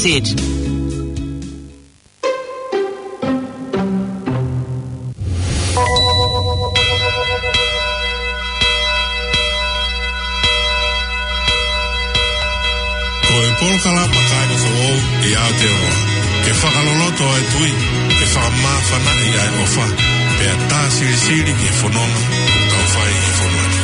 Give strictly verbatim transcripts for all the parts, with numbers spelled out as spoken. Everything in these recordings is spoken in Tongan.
Z. Ko e polokalama Kāinga Foʻou ʻi Aotearoa, ke fakaloloto ʻa e tui, ke fakamāfanaʻi ʻa e ʻofa, pea tā silisili ki he fononga ʻoku tau fai ʻi he fonua ni.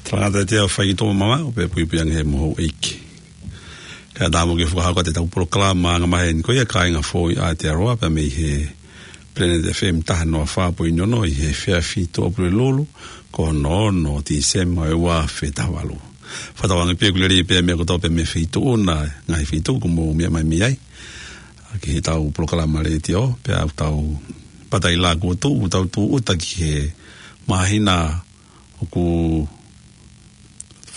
Talangata e tea ʻo fai ki tō mama, ʻo pē puipui ange he moho ʻeiki. Kae ʻatā mo ke fakahoko atu ʻetau polokalama anga maheni ko ia Kāinga Foʻou ʻi Aotearoa, pea mei he Planet F M taha noa fā poini ono ʻi he efiafi Tuʻapulelulu, ko hono ono ʻo Tīsema ʻo e ua afe taha valu. Fakatauange pē ʻoku lelei pē meʻa kotoa pē mei he feituʻu na, ngaahi feituʻu ʻoku mou meʻa mai mei ai. ʻA, ki heʻetau polokalama letiō, pea ʻoku tau pata ʻi he lā kuo tuʻu, ʻoku tau tūʻuta ki he māhina ʻoku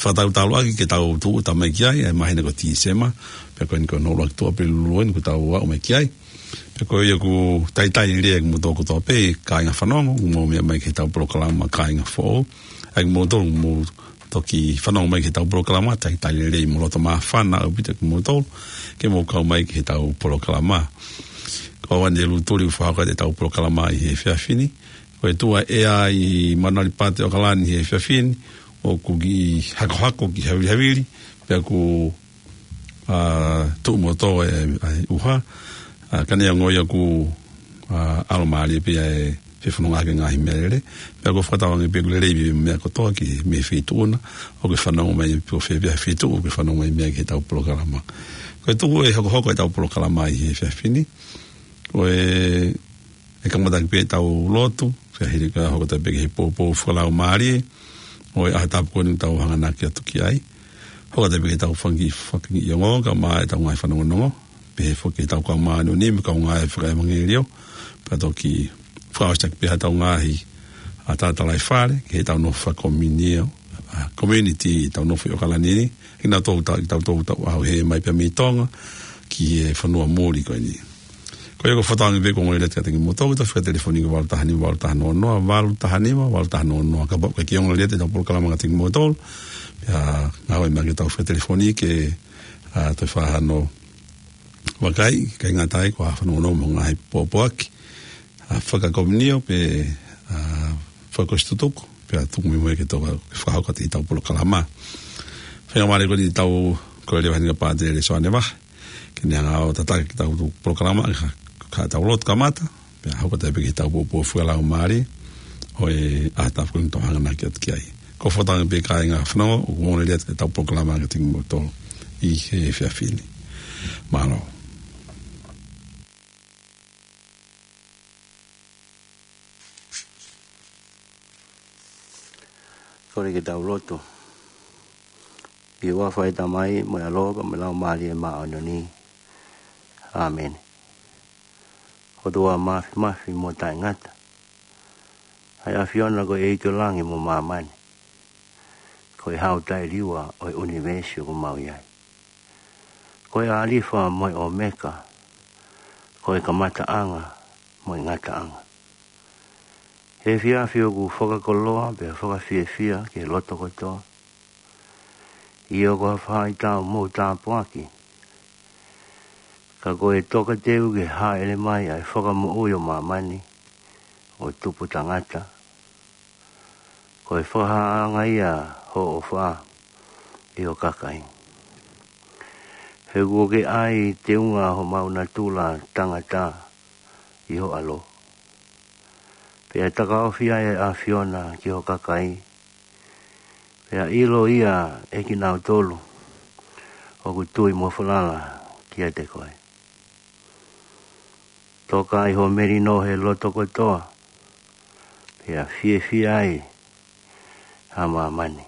fakatautau ʻaki ke tau tūʻuta mai ki ai, ʻa e māhina ko Tīsema, pea ko eni ko hono ʻuluaki Tuʻapulelulu eni ʻoku tau aʻu mai ki ai. Pea ko ia ʻoku talitali lelei ʻa kimoutolu kotoa pē, kāinga fanongo, ʻoku mou meʻa mai ki heʻetau polokalama Kāinga Foʻou. ʻA kimoutolu ʻoku mou toki fanongo mai ki heʻetau polokalama, talitali lelei mo loto māfana ʻaupito kimoutolu, ke mou kau mai ki heʻetau polokalama. Ko au eni ʻa Lutuli ʻoku fakahoko atu ʻetau polokalama ʻi he efiafi ni. Ko e tuʻu ʻa e ʻea ʻi Manualipate ʻAokalani he efiafi ni, ʻoku kiʻi hakohako, kiʻi havilihavili, pea ʻoku, ʻa, tuʻu mo tō e, ʻa e ʻuha, ʻa, ka neongo ia ʻoku, ʻa, ʻalomālie pē ʻa e fefonongaʻaki e ngaahi meʻalele, pea ʻoku ou fakatauange pē ʻoku lelei pē meʻa kotoa ki he, mei he feituʻu na ʻoku ke fanongo mai, pe ko fē pē ha feituʻu ʻoku ke fanongo mai mei ai ki heʻetau polokalama. Ko e tuʻu ʻe hokohoko ʻetau polokalama ʻi he efiafi ni, ko e ʻe kamata ʻaki pē ʻetau lotu, pea hili ka hoko atu pē ki he poupou fakalaumālie ʻo e ʻaho tapu ko eni ʻoku tau hanganaki atu ki ai. Hoko atu pē ki heʻetau fanga kiʻi, fanga kiʻi ongoongo, kae ʻumaʻā ʻetau ngaahi fanongonongo, pehē foki ki heʻetau kau māʻoniʻoni mo e kau ngāue fakaʻevangeliō, pea toki fakaʻosi atu pē ʻetau ngaahi, ʻa, tala talai fale, ki heʻetau nofo fakakomiunio, ʻa, community, ʻetau nofo ʻi ʻAokalani ni, kinautolu ʻoku tau, kitautolu ʻoku tau ʻaʻahi mai pē mei Tonga ki he fonua muli ko eni. Ko ia ʻoku ou fakatauange pē ʻoku ongoongolelei atu kiate kimoutolu, ʻetau fika telefoni ko e valu taha nima, valu taha noa noa, valu taha nima, valu taha noa noa. Kapau ʻoku ʻikai ke ongoongolelei atu ʻetau polokalama kiate kimoutolu, pea ngāue mai ki heʻetau fika telefoni ke, ʻa, toe fakahā hano vakai, ʻikai ngata ai ko ha fanongonongo mo e ngaahi pōpoaki, ʻa, fakakomiunio pe, ʻa, fakaʻosi tutuku, pea tuku muimui ke tau fakahoko atu ʻetau polokalama. Faingamālie ko eni ʻetau kole leva ʻa Pātele Soane Vahe ke ne hanga ʻo tataki ʻetau polokalama, ka, ka tau lotu kamata, pea hoko atu pē ki heʻetau pōpoaki fakalaumālie ʻo e ʻaho ko eni ʻoku tau hanganaki atu ki ai. Ko e fakatauange pē kāinga fanongo, ʻoku ongoongolelei atu ʻetau polokalama kiate kimoutolu ʻi he efiafi ni. Mālō. Kole ke tau lotu. ʻI he huafa ʻo e Tamai, mo e ʻAlo, pea mo e Laumālie Māʻoniʻoni. ʻĀmeni. ʻOtua māfimafi mo taʻengata, ʻa e ʻAfiona ko e ʻEiki ʻo langi mo māmani, ko e Hau taʻeliua ʻo e ʻunivēsi ʻoku mau ʻi ai. Ko e ʻAlifa mo e ʻOmeka, ko e kamataʻanga mo e ngataʻanga. He efiafi ʻoku fakakoloa pea fakafiefia ki he loto kotoa. ʻIo, ko ha faʻahitaʻu mou tāpuaki, ka ko e tokateu ki he hāʻele mai ʻa e Fakamoʻui ʻo māmani, ʻo tupu tangata. Ko e fakahāʻanga ia hoʻo ʻofa ʻi ho kakai. He kuo ke ʻai teunga homau natula tangata ʻi ho ʻAlo, pea takaofi ai ʻa e ʻAfiona ki ho kakai, pea ʻilo ia ʻe kinautolu ʻoku tui mo falala kiate koe. Toka ai ho melino he loto kotoa, pea fiefia ai ʻa māmani.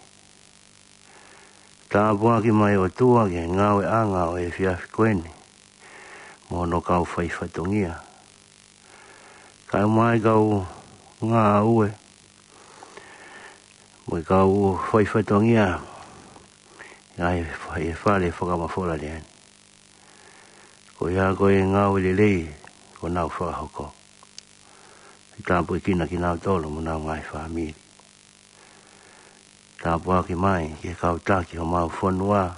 Tāpuaki mai ʻOtua ki he ngāueʻanga ʻo e efiafi ko eni, mo hono kau faifatongia, kae ʻumaʻā e kau ngāue, mo e kau faifatongia ʻi he fale fakamafola lea ni. Ko ia ko e ngāue lelei kuo nau fakahoko. Ke tāpuekina kinautolu mo honau ngaahi fāmili. Tāpuaki mai ki he kau taki homau fonua,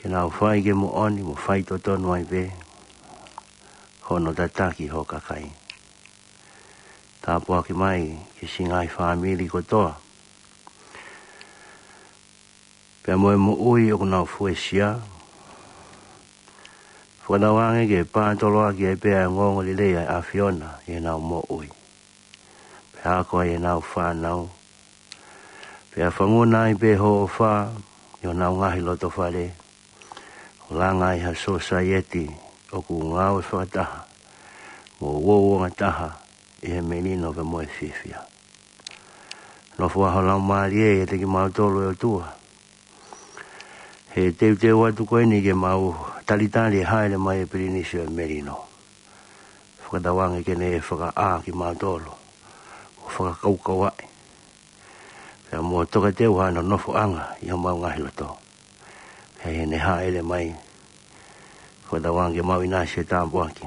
ke nau fai ki he moʻoni mo faitotonu ai pē hono tataki ho kakai. Tāpuaki mai ki he siʻi ngaahi fāmili kotoa, pea mo e moʻui ʻoku nau fuesia. Fakatauange ke pātoloaki ai pē ʻa e ongoongolelei ʻa e ʻAfiona ʻi heʻenau moʻui, pea ako ai ʻenau fānau, pea fanguna ai pē hoʻo ʻofa ʻi honau ngaahi lotofale, ʻo langa ai ha sōsaieti ʻoku ngāue fakataha mo uouangataha ʻi he melino pea mo e fiefia. Nofo ā ho Laumālie ʻiate kimautolu, ʻe ʻOtua, he teuteu atu ko eni ke mau talitali e hāʻele mai ʻa e Pilinisi ʻo e Melino. Fakatauange ke ne fakaʻā kimautolu, ʻo fakakaukauʻi, pea mo tokateu hano nofoʻanga ʻi homau ngaahi loto. He ʻi heʻene hāʻele mai, fakatauange ke mau ʻinasi he tāpuaki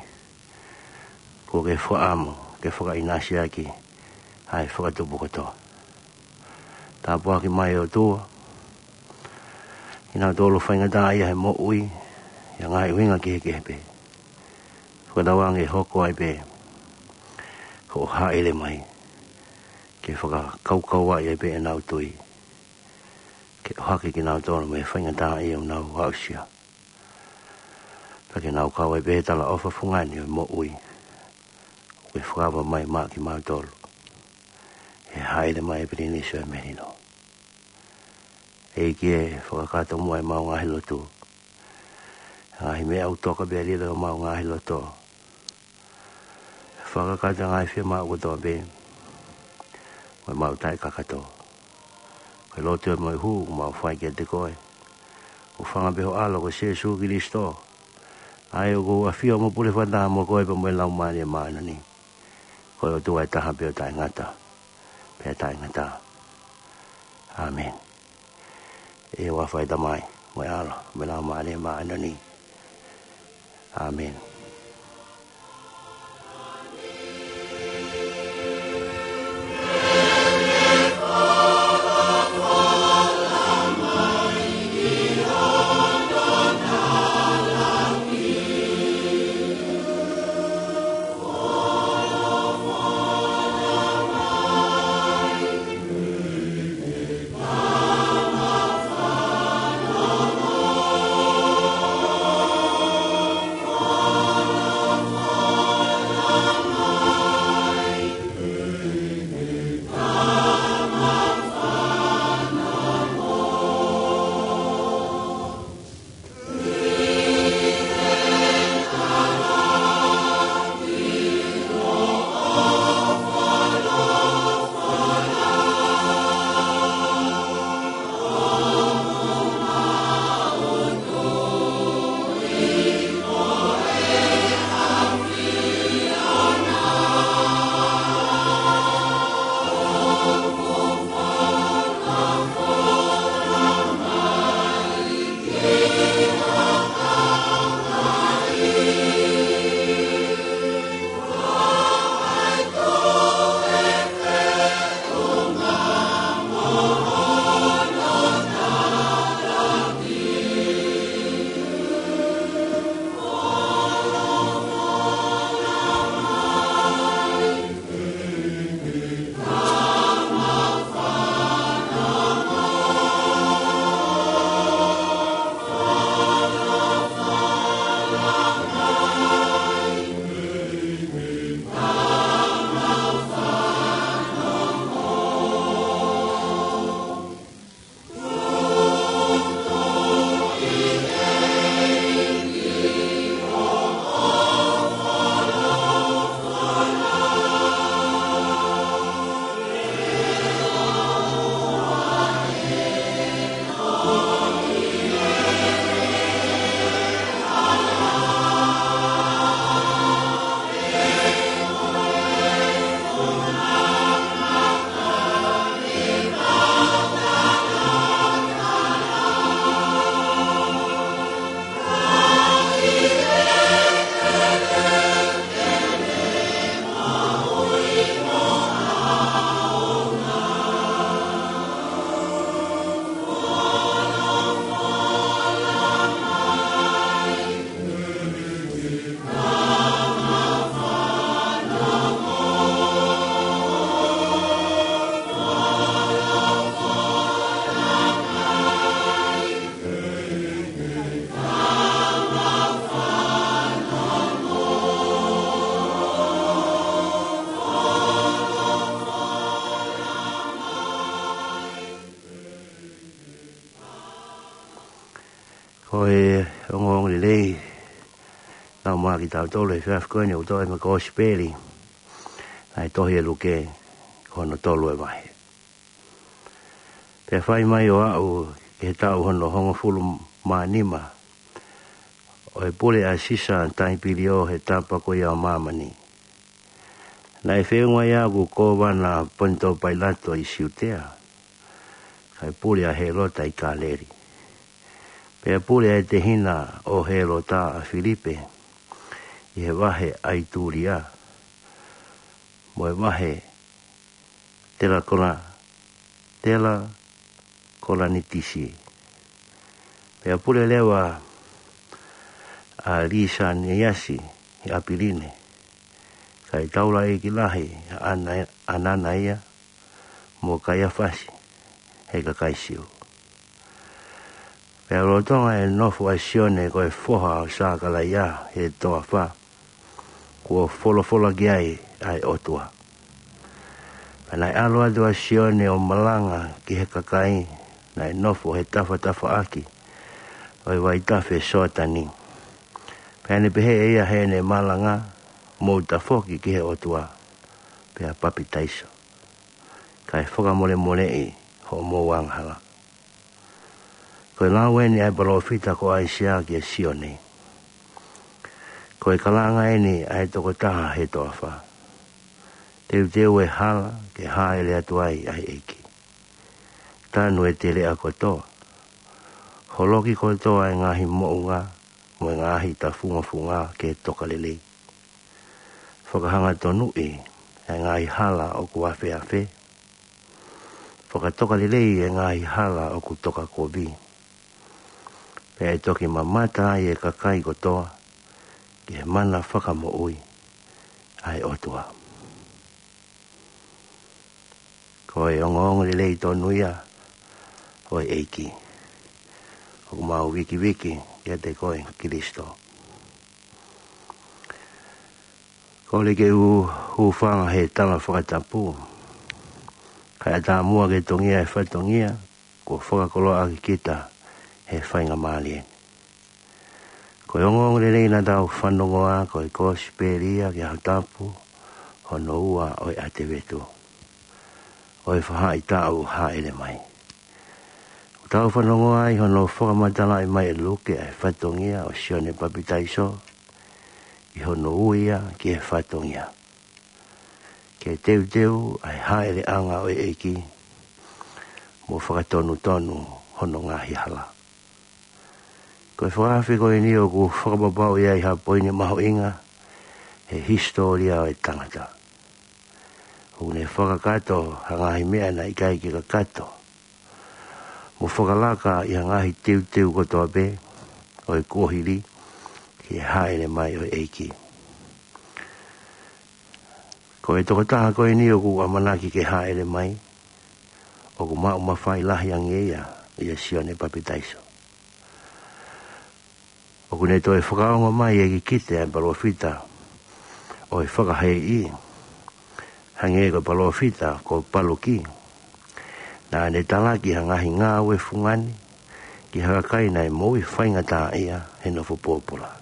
kuo ke fakaʻamu ke fakaʻinasiʻaki ʻa e fakatupu kotoa. Tāpuaki mai ʻOtua kinautolu faingataʻaʻia he moʻui ʻi ha ngaahi ʻuhinga kehekehe pē. Fakatauange ʻe hoko ai pē hoʻo hāʻele mai ke fakakaukauʻi ai pē ʻenau tui, ke ʻohake kinautolu mei he faingataʻaʻia ʻoku nau aʻusia, pea ke nau kau ai pē he talaʻofa fungani ʻo e moʻui ʻoku ke fakaava mai maʻa kimautolu he hāʻele mai ʻa e Pilinisi ʻo e Melino. ʻEiki ē, fakakakato muʻa ʻemau ngaahi lotu, ngaahi meʻa ʻoku toka pea lilo ʻemau ngaahi loto. Fakakakato ngaahi fiemaʻu kotoa pē mo ʻemau taʻekakato. Ko e lotu ē mo e hū ʻoku mau fai kiate koe, ʻo hūfanga pē ho ʻAlo ko Sīsū Kalaisi, ʻa ia ʻoku ʻafio mo pule fakataha mo koe pea mo e Laumālie Māʻoniʻoni, ko e ʻOtua ʻe taha pē ʻo taʻengata pea taʻengata. ʻĀmeni. ʻI he huafa ʻo e Tamai, mo e ʻAlo, mo e Laumālie Māʻoniʻoni. ʻĀmeni. Ko e ongoongolelei naʻa mau maʻu kitautolu he efiafi ko eni ʻoku toʻo mei he Kosipeli, ʻa e tohi ʻa Luke, ko hono tolu e vahe. Pea fai mai ʻo aʻu ki he taʻu hono hongofulu mā nima ʻo e pule ʻa Sisa Taipilio he tapa ko ia ʻo māmani, naʻe feʻunga ia ʻoku kōvana ʻa Ponito Pailato ʻi Siutea, kae pule ʻa Hēlota ʻi Kāleli. Pea pule ʻa e tehina ʻo Hēlota, ʻa Filipe, ʻi he vahe ʻa ʻItulia, mo e vahe Telakona, Telakonitisi. Pea pule leva ʻa Lisaniasi ʻi ʻApiline, kae taulaʻeiki lahi ʻa ʻAna-, ʻAnanaia mo Kaiafasi ʻi he kakai Siu. Pea lolotonga e nofo ʻa Sione ko e foha ʻo Sakalaia he toafa, kuo folofola ki ai ʻa e ʻOtua. Pea naʻe ʻalu atu ʻa Sione ʻo malanga ki he kakai naʻe nofo he tafatafaʻaki ʻo e vaitafe Soatani. Pea ne pehē ʻe ia heʻene malanga, Mou tafoki ki he ʻOtua, pea papitaiso, kae fakamolemoleʻi hoʻomou angahala. Ko e lau eni ʻa e palōfita ko ʻAisea kia Sione. Ko e kalanga eni ʻa e tokotaha he toafa: Teuteu e hala ke hāʻele atu ai ʻa e ʻEiki. Tanu e teleʻa kotoa. Holoki kotoa e ngaahi moʻunga mo e ngaahi tafungafunga ke toka lelei. Fakahangatonu e ngaahi hala ʻoku afeafe. Fakatoka lelei e ngaahi hala ʻoku toka kovi. Pea ʻe toki mamata ai e kakai kotoa ki he mana fakamoʻui ʻa e ʻOtua. Ko e ongoongolelei tonu ia ʻo e ʻEiki. ʻOku mau vikiviki kiate koe Kilisitō. Kole ke u hūfanga he tala fakatapu, kae ʻatā muʻa ke tongia e fatongia kuo fakakoloa ʻaki kita he faingamālie ni. Ko e ongoongolelei naʻa tau fanongoa ko e Kosipeli ia ki he ʻaho tapu hono ua ʻo e ʻAtevetu ʻo e faʻahitaʻu Hāʻele Mai. ʻOku tau fanongoa ai hono fakamatalaʻi mai ʻe Luke ʻa e fatongia ʻo Sione Papitaiso ʻi hono ui ia ki he fatongia ke teuteu ʻa e hāʻeleʻanga ʻo e ʻEiki mo fakatonutonu hono ngaahi hala. Ko e fakaafe ko eni ʻoku fakapapauʻi ai ha poini mahuʻinga he hisitōlia ʻo e tangata. ʻOku ne fakakakato ha ngaahi meʻa naʻe ʻikai ke kakato, mo fakalaka ʻi ha ngaahi teuteu kotoa pē ʻo e kuohili ki he hāʻele mai ʻo e ʻEiki. Ko e tokotaha ko eni ʻoku ʻamanaki ke hāʻele mai, ʻoku maʻu mafai lahi ange ia ʻia Sione Papitaiso. ʻOku ne toe fakaongo mai e kikite ʻa e palōfita ʻo e fakahēʻi, hangē ko e palōfita ko Paluki, naʻa ne talaki ha ngaahi ngāue fungani ki ha kakai naʻe moʻui faingataʻaʻia he nofo pōpula.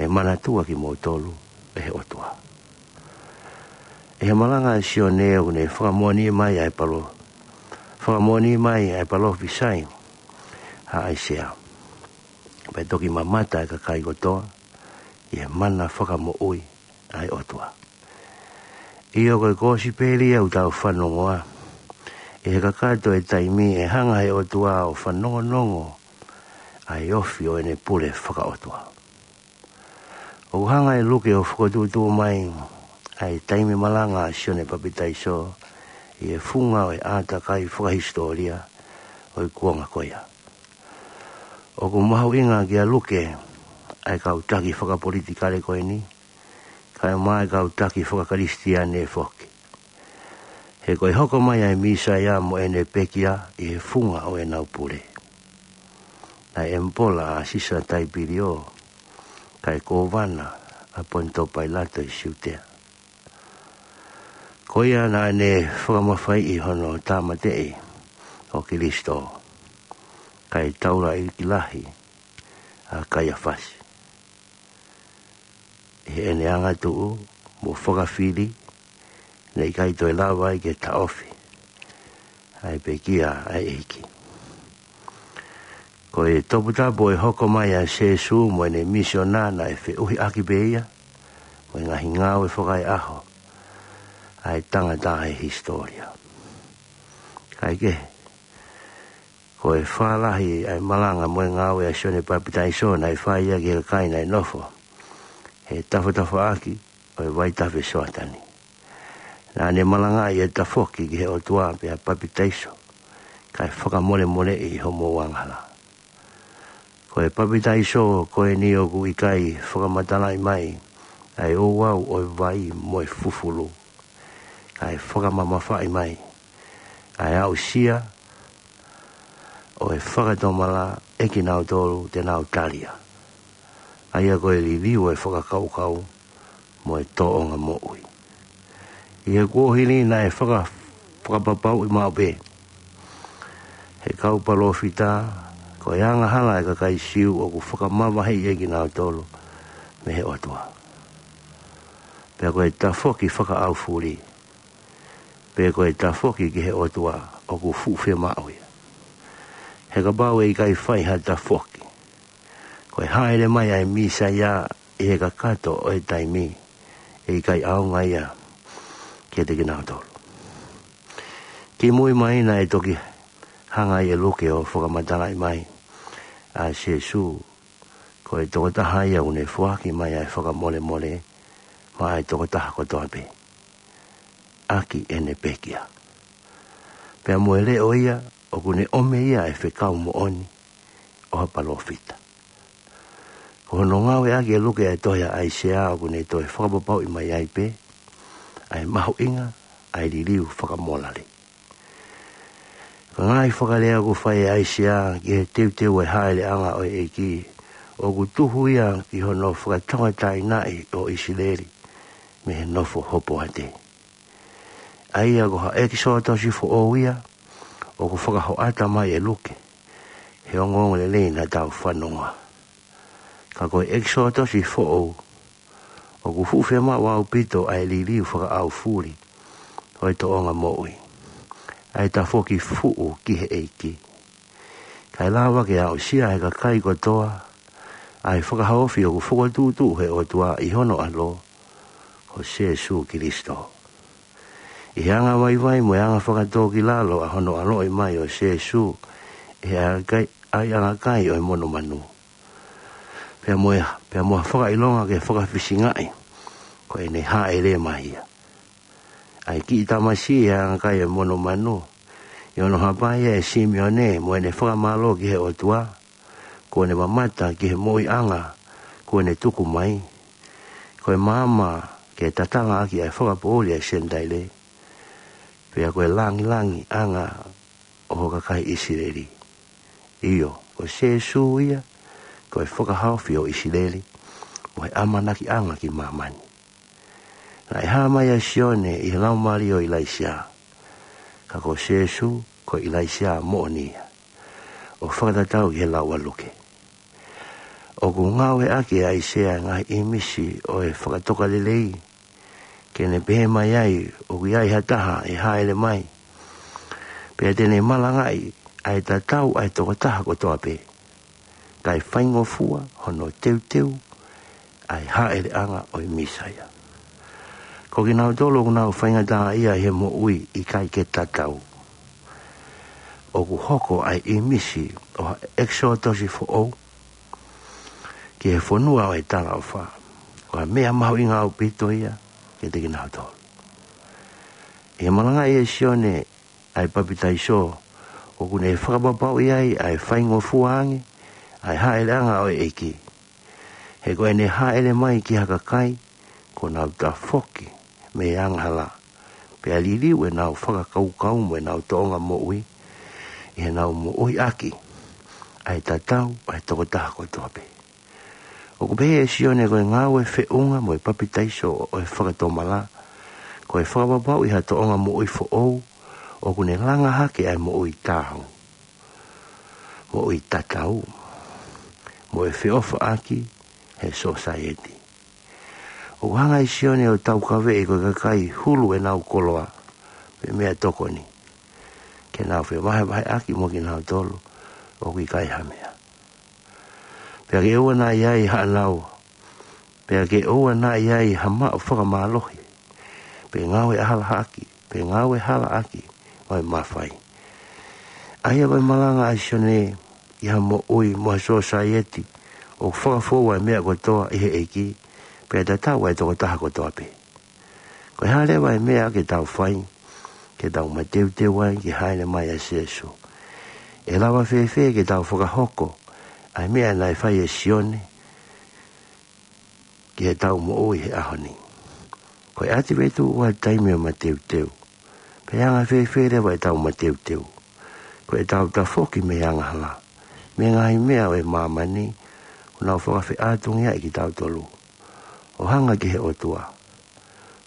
ʻE manatua kimoutolu ʻe he ʻOtua. ʻI he malanga ʻa Sione ʻoku ne fakamoʻoni mai ʻa e palo-, fakamoʻoni mai ʻa e palōfisai ʻa ʻAisea. Pea toki mamata e kakai kotoa ʻi he mana fakamoʻui ʻa e ʻOtua. ʻIo, ko e Kosipeli ia ʻoku tau fanongoa ʻi he kakato e taimi ʻe hanga he ʻOtua ʻo fanongonongo ʻa e ofi ʻo ʻene pule fakaʻotua. ʻOku hanga ʻe Luke ʻo fokotuʻutuʻu mai ʻa e taimi malanga ʻa Sione Papitaiso ʻi he funga ʻo e ʻātakai fakahisitōlia ʻo e kuonga ko ia. ʻOku mahuʻinga kia Luke ʻa e kau taki fakapolitikale ko eni, kae ʻumaʻā e kau taki fakaKalisitiane foki. He ko e hoko mai ʻa e Mīsaia mo ʻene pekia ʻi he funga ʻo ʻenau pule. Naʻe ʻemipola ʻa Sisa Taipilio, kae kōvana ʻa Ponito Pailato ʻi Siutea. Ko ia naʻa ne fakamafaiʻi hono tāmateʻi ʻo Kilisitō, kae taulaʻeiki lahi ʻa Kaiafasi. ʻI heʻene angatuʻu mo fakafili, naʻe ʻikai toe lava ai ke taʻofi ʻa e pekia ʻa e ʻEiki. Ko e toputapu ʻo e hoko mai ʻa Sēsū mo ʻene misiona naʻe feʻuhiʻaki pē ia mo e ngaahi ngāue fakaeʻaho ʻa e tangata ʻi he hisitōlia. Kaekehe, ko e fālahi ʻa e malanga mo e ngāue ʻa Sione Papitaiso naʻe fai ia ki he kakai naʻe nofo he tafatafaʻaki ʻo e vaitafe Soatani. Naʻa ne malangaʻi e tafoki ki he ʻOtua pea papitaiso, kae fakamolemoleʻi homou angahala. Ko e papitaiso ko eni ʻoku ʻikai fakamatalaʻi mai ʻa e ouau ʻo e vai mo e fufulu, kae fakamamafaʻi mai ʻa e aʻusia ʻo e fakatomala ʻe kinautolu te nau tali ia, ʻa ia ko e liliu ʻo e fakakaukau mo e tōʻonga moʻui. ʻI he kuohili naʻe faka-, fakapapauʻi maʻu pē he kau palōfita ko e angahala ʻa e kakai Siu ʻoku fakamavaheʻi ʻe kinautolu mei he ʻOtua. Pea ko e tafoki fakaʻaufuli, pe ko e tafoki ki he ʻOtua ʻoku fuʻu fiemaʻu ia. He kapau ʻe ʻikai fai ha tafoki, ko e hāʻele mai ʻa e Mīsaia ʻi he kakato ʻo e taimi, ʻe ʻikai ʻaonga ia kiate kinautolu. Kimui mai naʻe toki hanga ai ʻe Luke ʻo fakamatalaʻi mai ʻa Sēsū ko e tokotaha ia ʻoku ne foaki mai ʻa e fakamolemole maʻa e tokotaha kotoa pē ʻaki ʻene pekia. Pea mo e leʻo ia ʻoku ne ʻomi ia ʻa e fekau moʻoni ʻo ha palōfita. Ko hono ngāueʻaki ʻe Luke ʻa e tohi ʻa ʻAisea ʻoku ne toe fakapapauʻi mai ai pē ʻa e mahuʻinga ʻa e liliu fakamolale. Ko e ngaahi fakalea ʻoku fai ʻe ʻAisea ki he teuteu ʻo e hāʻeleʻanga ʻo e ʻEiki, ʻoku tuhu ia ki hono fakatauʻatāinaʻi ʻo ʻIsileli mei he nofo hopoate. ʻA ia ko ha ʻEkisotosi foʻou ia ʻoku fakahoʻata mai ʻe Luke he ongoongolelei naʻa tau fanongoa. Ka ko e ʻEkisotosi foʻou ʻoku fuʻu fiemaʻu ʻaupito ʻa e liliu fakaʻaufuli ʻo e tōʻonga moʻui, ʻa e tafoki fuʻu ki he ʻEiki, kae lava ke aʻusia ʻe he kakai kotoa ʻa e fakahaofi ʻoku fokotuʻutuʻu ʻe he ʻOtua ʻi hono ʻAlo ko Sēsū Kilisitō. ʻI he anga vaivai mo e anga fakatōkilalo ʻa hono ʻaloʻi mai ʻo Sēsū ʻi he ʻaiʻanga kai, ʻaiʻanga kai ʻo e monumanu, pea mo e, pea mo ha fakaʻilonga ke fakafisingaʻi ko ʻene hāʻele mai ia. ʻA e kiʻi tamasiʻi ʻi he ʻaiʻanga kai ʻo e monumanu, ʻi hono hapai ʻe Simione mo ʻene fakamālō ki he ʻOtua, kuo ne mamata ki he moʻuiʻanga kuo ne tuku mai, ko e maama ke tatala ʻaki ʻa e fakapoʻuli ʻa e Senitaile, pea ko e langilangiʻanga ʻo ho kakai ʻIsileli. ʻIo, ko Sēsū ia ko e fakahaofi ʻo ʻIsileli mo e ʻamanakiʻanga ki māmani. Naʻe hā mai ʻa Sione ʻi he laumālie ʻo ʻIlaisiā, ka ko Sēsū ko ʻIlaisiā moʻoni ia, ʻo fakatatau ki he lau ʻa Luke. ʻOku ngāueʻaki ʻe ʻAisea e ngaahi ʻīmisi ʻo e fakatokalelei ke ne pehē mai ai ʻoku ʻi ai ha taha ʻe hāʻele mai, pea te ne malangaʻi ʻa e tatau ʻa e tokotaha kotoa pē, kae faingofua hono teuteu ʻa e hāʻeleʻanga ʻo e Mīsaia. Ko kinautolu ʻoku nau faingataʻaʻia ʻi he moʻui ʻikai ke tatau, ʻoku hoko ʻa e ʻīmisi ʻo ha ʻEkisotosi foʻou ki he fonua ʻo e talaʻofa ko ha meʻa mahuʻinga ʻaupito ia kiate kinautolu. ʻI he malangaʻi ʻe Sione ʻa e Papitaiso, ʻoku ne fakapapauʻi ai ʻa e faingofua ange ʻa e hāʻeleʻanga ʻo e ʻEiki. He ko ʻene hāʻele mai ki ha kakai kuo nau tafoki mei he angahala, pea liliu ʻenau fakakaukau mo ʻenau tōʻonga moʻui, ʻi heʻenau moʻui ʻaki ʻa e tatau ʻa e tokotaha kotoa pē. ʻOku pehē ʻe Sione ko e ngāue feʻunga mo e papitaiso ʻo e fakatomala, ko e fakapapauʻi ha tōʻonga moʻui foʻou ʻoku ne langa hake ʻa e moʻui taau, moʻui tatau, mo e feʻofaʻaki he sōsaieti. ʻOku hanga ʻe Sione ʻo taukaveʻi ko e kakai hulu ʻenau koloa pe meʻatokoni, ke nau fevahevaheʻaki mo kinautolu ʻoku ʻikai ha meʻa. Pea ke ʻoua naʻa ʻi ai haʻanau, pea ke ʻoua naʻa ʻi ai ha maʻu fakamālohi, pe ngāue ʻahiʻahiʻaki, pe ngāue halaʻaki ʻo e mafai. ʻA ia ko e malanga ʻa Sione ki ha moʻui mo ha sōsaieti ʻoku fakafoua e meʻa kotoa ʻi he ʻEiki, pea tatau ʻa e tokotaha kotoa pē. Ko e hā leva e meʻa ke tau fai ke tau mateuteu ai ki he hāʻele mai ʻa Sīsū? ʻE lava fēfē ke tau fakahoko ʻa e meʻa naʻe fai ʻe Sione ki heʻetau moʻui he ʻaho ni? Ko e ʻAtivetu ʻoku ʻi ai e taimi ʻo e mateuteu. Pea anga fēfē leva ʻetau mateuteu? Ko ʻetau tafoki mei he angahala, mei he ngaahi meʻa ʻo e māmani ʻoku nau fakafeʻātungiaʻi kitautolu, ʻo hanga ki he ʻOtua,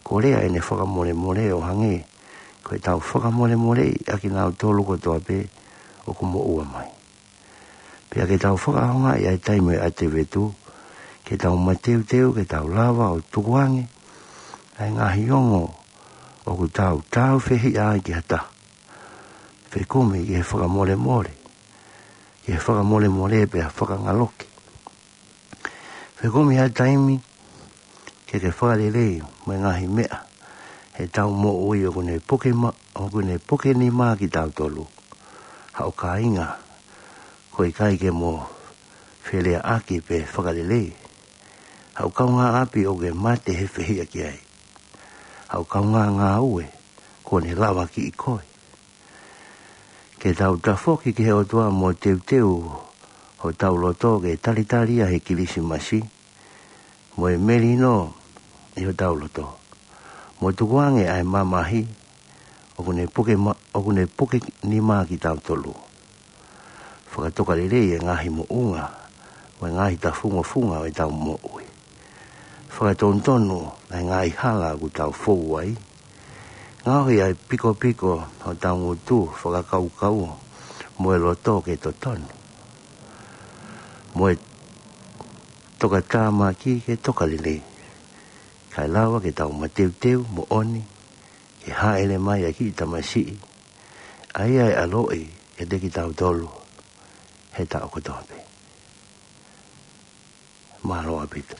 kolea ʻene fakamolemole ʻo hangē ko ʻetau fakamolemoleʻi ʻa kinautolu kotoa pē ʻoku moʻua mai. Pea ke tau fakaʻaongaʻi ʻa e taimi ʻo e ʻAtivetu ke tau mateuteu, ke tau lava ʻo tukuange ʻa e ngaahi ongo ʻoku tau tāufehiʻa ai ki ha taha, fekumi ki he fakamolemole, ki he fakamolemole pea fakangaloki. Fekumi ha taimi ke ke fakalelei mo e ngaahi meʻa heʻetau moʻui ʻoku ne puke ma-, ʻoku ne puke nima kitautolu. Haʻo kāinga, ko e ʻikai ke mo feleaʻaki pe fakalelei. Haʻo kaungāʻapi ʻoku ke mate he fehiʻa ki ai. Haʻo kaungā ngāue, kuo ne lavakiʻi koe. Ke tau tafoki ki he ʻOtua mo teuteu hotau loto ke talitali ʻa e Kilisimasi mo e melino ʻi hotau loto, mo tukuange ʻa e mamahi ʻoku ne puke ma-, ʻoku ne puke nima kitautolu. Fakatokalelei e ngaahi moʻunga mo e ngaahi tafungofunga ʻo ʻetau moʻui. Fakatonutonu ʻa e ngaahi hala ʻoku tau fou ai. Ngaohi ʻa e pikopiko hotau ngutu, fakakaukau mo e loto ke totonu, mo e tokatāmaki ke tokalelei, kae lava ke tau mateuteu moʻoni ki he hāʻele mai ʻa e kiʻi tamasiʻi, ʻa ia ʻe ʻaloʻi kiate kitautolu he taʻu kotoa pē. Mālō ʻaupito.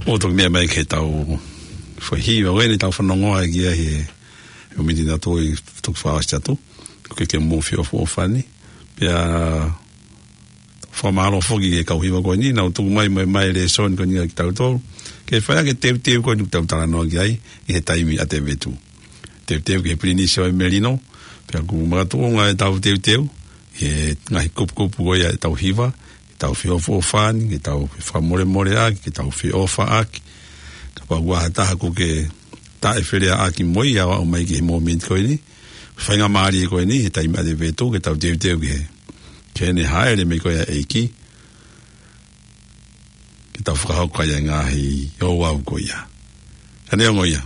ʻO toki meʻa mai ke tau fai hiva, ʻo eni tau fanongoa ki ai he, he miniti ʻe taha ʻi he toki fakaʻosi atu. Ko e ke mou feʻofoʻofani. Pea fakamālō foki ki he kau hiva ko eni, naʻa nau tuku mai, mai, mai e lēsoni ko eni kia kitautolu. Ke fai ʻaki e teuteu ko eni ʻoku tau talanoa ki ai, ʻi he taimi ʻa e vetu. Teuteu ki he Pilinisi ʻo e Melino, pea ʻoku makatuʻunga ʻetau teuteu, he ngaahi kupukupu ko ia ʻetau hiva, ke tau feʻofoʻofani, ke tau fakamolemoleʻaki, ke tau feʻofaʻaki. Kapau ʻoku ʻi ai ha taha ʻoku ke taʻefelāveʻaki mo ia ʻo aʻu mai ki he mōmeniti ko eni, faingamālie ko eni, he taimi ʻa e vetu, ke tau teuteu ki he, ki heʻene hāʻele mai ko ia ʻa e ʻEiki, ke tau fakahoko ai e ngaahi ouau ko ia. Ka neongo ia,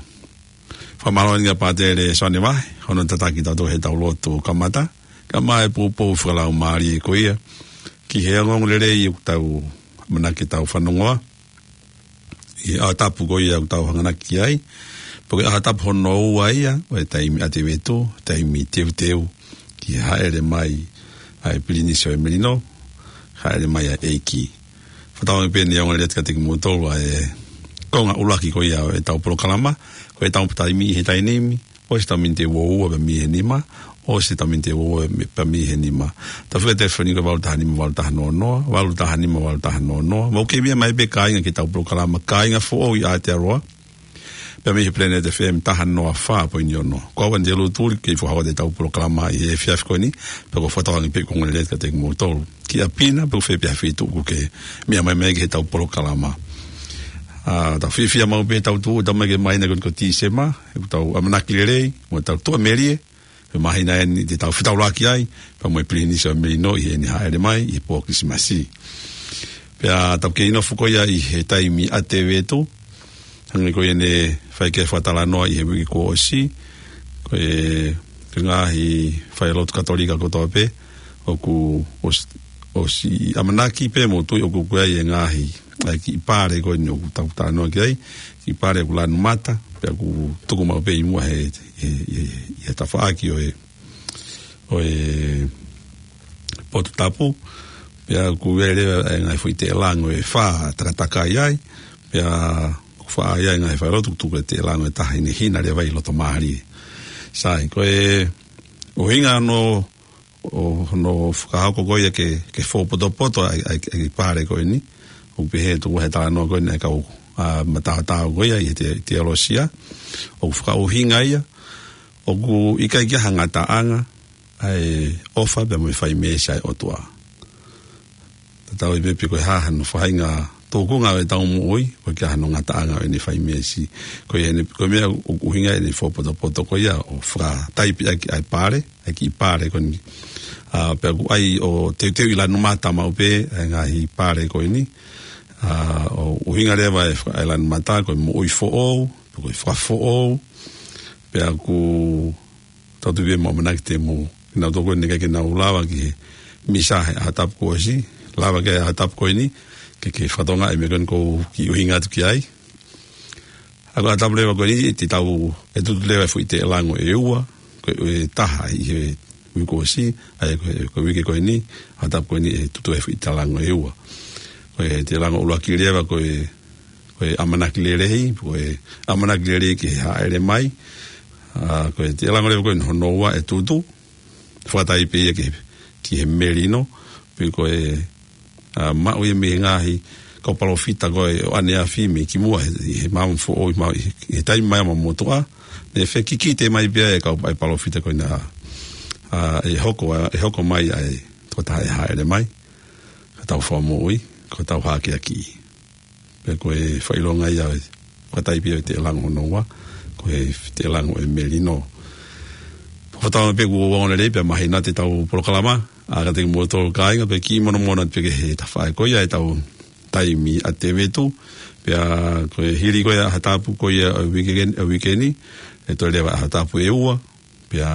fakamālō eni kia Pātele Soane Vahe, hono tataki kitautolu he tau lotu kamata, kae ʻumaʻā e poupou fakalaumālie ko ia, ki he ongoongolelei ʻoku tau ʻamanaki ke tau fanongoa, ʻi he ʻaho tapu ko ia ʻoku tau hanganaki ai, pea ko e ʻaho tapu hono ua ia, ʻo e taimi ʻa e vetu, taimi teuteu, ki he hāʻele mai ʻa e Pilinisi ʻo e Melino, hāʻele mai ʻa e ʻEiki. Fakatauange pē naʻe ongoongolelei atu kiate kimoutolu ʻa e konga ʻuluaki ko ia ʻo ʻetau polokalama, ko ʻetau taimi ʻi he taimi ni, ʻosi ʻetau miniti ʻe ua ua pea mei he nima, ʻosi ʻetau miniti ʻe ua ua pea mei he nima. Tau fika telefoni ko e valu taha nima valu taha noa noa, valu taha nima valu taha noa noa. Mou kei meʻa mai pē kāinga ki heʻetau polokalama, kāinga foʻou ʻi Aotearoa, pea mei he Planet F M taha noa fā poini ono. Ko au Andy Lutuli, kei fakahoko atu ʻetau polokalama ʻi he efiafi ko eni, pea ʻoku ou fakatauange pē ʻoku ongoongolelei atu kiate kimoutolu. Ki ʻapi na, pe ko fē pē ha feituʻu ʻoku ke meʻa mai mai ki heʻetau polokalama. ʻA, tau fiefia maʻu pē ʻetau tuʻu, tau mai ki he māhina ko eni ko Tīsema, ʻoku tau ʻamanaki lelei, mo tau tuʻamelie, he māhina eni te tau fetaulaki ai, pea mo e Pilinisi ʻo e Melino ʻi heʻene hāʻele mai, ʻi he pō Kilisimasi. Pea tau kei nofo ko ia ʻi he taimi ʻa e vetu, hangē ko ia naʻe fai ki ai e fakatalanoa ʻi he uike kuo ʻosi, ko e, ko e ngaahi failotu Katolika kotoa pē, ʻoku ʻos-, ʻosi ʻamanaki pē mo tui ʻoku ʻi ai e ngaahi, ʻa e kiʻi pale ko eni ʻoku tau talanoa ki ai, kiʻi pale ʻoku lanu mata, pea ʻoku tuku maʻu pē ʻi muʻa he, he, he, he tafaʻaki ʻo e, ʻo e Potu Tapu, pea ʻoku ʻi ai leva e ngaahi foʻi teʻelango ʻe fā takatakai ai, pea ʻoku fai ai e ngaahi failotu, tuku e teʻelango ʻe taha ʻi heʻene hina leva ʻi loto mālie. Sai, ko e ʻuhinga hono, ʻo hono fakahoko ko ia ke, ke fōpotopoto ai, ai, ai pale ko eni, ʻoku pehē atu he talanoa ko eni ʻa e kau, ʻa, mataotao ko ia ʻi he te-, teolosia, ʻoku fakaʻuhinga ia, ʻoku ʻikai ke ʻi ai ha ngataʻanga ʻa e ʻofa pea mo e fai meesi ʻa e ʻOtua. Tatau ai pē pe ko e hā hano faʻahinga tūkunga ʻo ʻetau moʻui, ʻoku ʻikai ke ʻi ai hano ngataʻanga ʻo ʻene fai meesi. Ko ia ʻene, ko e meʻa ʻoku ʻuhinga ʻene fōpotopoto ko ia ʻo fakataipe ʻaki ʻa e pale, ʻa e kiʻi pale ko eni. ʻA, pea ʻoku ʻai ʻo teuteu ʻi lanu mata maʻu pē, ʻa e ngaahi pale ko eni. ʻA, ʻo ʻuhinga leva e faka-, ʻa e lanu mata, ko e moʻui foʻou, ko e fakafoʻou, pea ʻoku tau tui pē mo ʻamanaki te mou, kinautolu ko eni ʻikai ke nau lava ki he misa he ʻaho tapu kuo ʻosi, lava ki he ʻaho tapu ko eni, ke, ke fakatokangaʻi e meʻa ko eni ʻoku ou kiʻi ʻuhinga atu ki ai. ʻA ko e ʻaho tapu leva ko eni, te tau, ʻe tutu leva e foʻi teʻelango ʻe ua, ko e, ʻe taha ʻi he uike kuo ʻosi, ʻa ia ko e, ko e uike ko eni, ʻaho tapu ko eni ʻe tutu e foʻi teʻelango ʻe ua. Ko e teʻelango ʻuluaki leva ko e, ko e ʻamanaki lelei, ko e ʻamanaki lelei ki he hāʻele mai. ʻA, ko e teʻelango leva ko eni hono ua ʻe tutu, fakataipe ia ki, ki he melino, pe ko e, ʻa, maʻu ia mei he ngaahi kau palōfita ko ē ʻo ʻaneafi mei kimuʻa he, he maama foʻou ʻi ma-, he, he taimi mai ʻa e motuʻa, naʻe fekikite mai pē ʻa e kau, ʻa e palōfita ko ena, ʻa, ʻe hoko, ʻa, ʻe hoko mai ʻa e tokotaha ʻe hāʻele mai, ko hotau Fakamoʻui, ko hotau hakeakiʻi. Pea ko e fakaʻilonga ia ʻo e fakataipe ʻo e teʻelango hono ua, ko e teʻelango ʻo e melino. Ko e taimi pē kuo ua ʻo e lelei pea mahino atu ʻetau polokalama, ʻa, kiate kimoutolu kāinga, pea kiʻi monomono atu pē ki he tafaʻaki ko ia ʻetau taimi ʻa Tēvita. Pea ko e hili ko ia ʻaho Tapu ko ia ʻo e uike ni, ʻo e uike ni, ʻe toe leva ʻaho Tapu ʻe ua, pea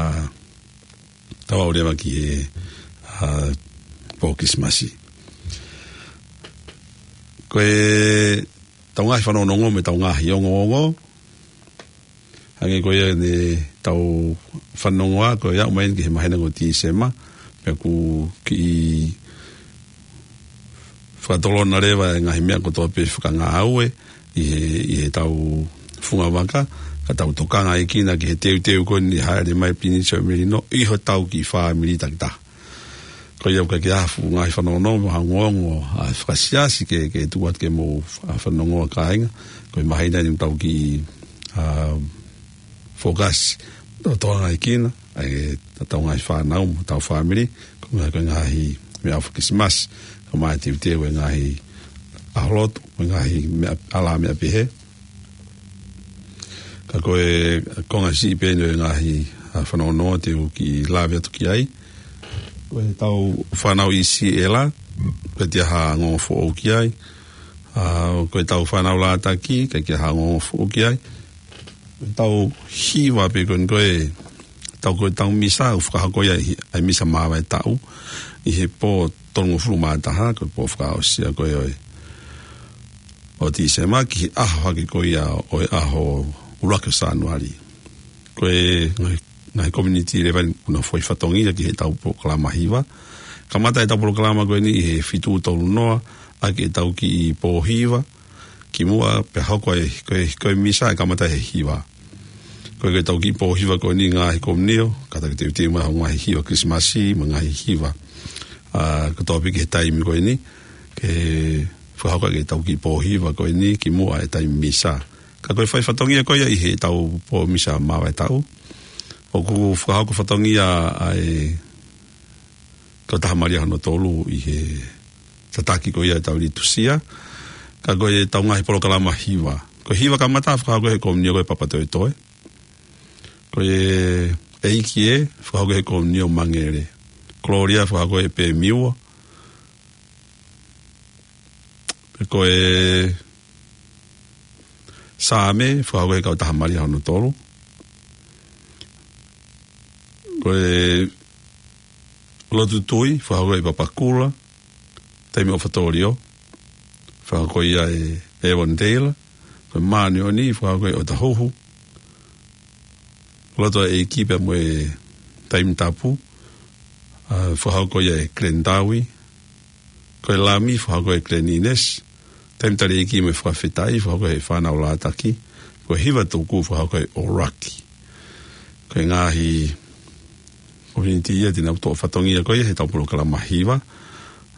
tau aʻu leva ki he, ʻa, pō Kilisimasi. Ko ʻetau ngaahi fanongonongo mo ʻetau ngaahi ongoongo, hangē ko ia ne tau fanongoa, ko ia ʻomai ki he māhina ko Tīsema, pea ʻoku kiʻi fakatolona leva e ngaahi meʻa kotoa pē fakangāue ʻi he, ʻi heʻetau fungavaka, ka tau tokangaʻi kinautolu ki he teuteu ko eni hāʻele mai Pilinisi ʻo e Melino ʻi hotau kiʻi fāmili takitaha. Ko ia ʻoku ʻikai ke ʻi ai ha fuʻu ngaahi fanongonongo mo ha ongoongo, ʻa, fakasiasi ke, ke tuku atu ke mou fa-, fanongoa kāinga. Ko e māhina ni ʻoku tau kiʻi, ʻa, fokasi, tau tokangaʻi kinautolu, ʻa e, ʻetau ngaahi fānau mo hotau fāmili, ko e ngaahi, ko e ngaahi meʻa faka-Kilisimasi, kae ʻumaʻā e teuteu e ngaahi ʻaho lotu, mo e ngaahi meʻa, ʻalā meʻa pehē. Ka ko e konga siʻi pē eni ʻo e ngaahi, ʻa, fanongonongo te u kiʻi lave atu ki ai. Ko ʻetau fānau ʻi Siʻela, ʻikai ke ʻi ai ha ongoongo foʻou ki ai. ʻA, ko ʻetau fānau Lātaki, ʻikai ke ʻi ai ha ongoongo foʻou ki ai. Ko ʻetau hiva pē ko eni ko e, tau ko ʻetau misa, ʻoku fakahoko ia ʻi he, ʻa e misa māvae taʻu, ʻi he pō tolungofulu mā taha, ko e pō fakaʻosi ia ko ē ʻo e, ʻo Tīsema, ki he ʻaho hake ko ia ʻo e ʻaho ʻuluaki ʻo Sānuali. Ko e ngaahi, ngaahi community level ʻoku nau fai fatongia ki heʻetau polokalama hiva. Kamata ʻetau polokalama ko eni ʻi he fitu tolu noa, ʻaki ʻetau kiʻi pō hiva, kimuʻa pea hoko e, ko e, ko e misa ʻe kamata he hiva. Ko e, ko ʻetau kiʻi pō hiva ko eni ngaahi komunio, kātaki teuteu mai hoʻo ngaahi hiva Kilisimasi, mo e ngaahi hiva, ʻa, kotoa pē ki he taimi ko eni, ke fakahoko ʻaki ʻetau kiʻi pō hiva ko eni, kimuʻa e taimi misa. Ka ko e fai fatongia ko ia ʻi heʻetau pō misa māvae taʻu, ʻoku fakahoko fatongia ʻa e Kautaha Malia hono tolu ʻi he tataki ko ia ʻetau litūsia. Ka ko ʻetau ngaahi polokalama hiva. Ko e hiva kamata fakahoko he komunio ko e Papatoetoe. Ko e ʻEiki ē fakahoko he komunio Mangele. Kolōlia fakahoko he Pemiua. Ko e Saame fakahoko he Kautaha Malia hono tolu. Ko e Lotu Tui fakahoko he Papakura, Taimi ʻOfa Tōlio, fakahoko ia ʻe Evan Taylor. Ko e Māʻoniʻoni fakahoko he ʻOtahuhu. Lotu ʻa e ʻEiki pea mo e Taimi Tapu, ʻa, fakahoko ia ʻe Glenn Tawi. Ko e Lami fakahoko ʻe Glenn Innes. Taimi Tali ʻEiki mo e Fakafetaʻi fakahoko he Fānau Lātaki. Ko e Hiva Tuku fakahoko ʻe ʻOlaki. Ko e ngaahi community ia te nau toʻo fatongia ko ia heʻetau polokalama hiva.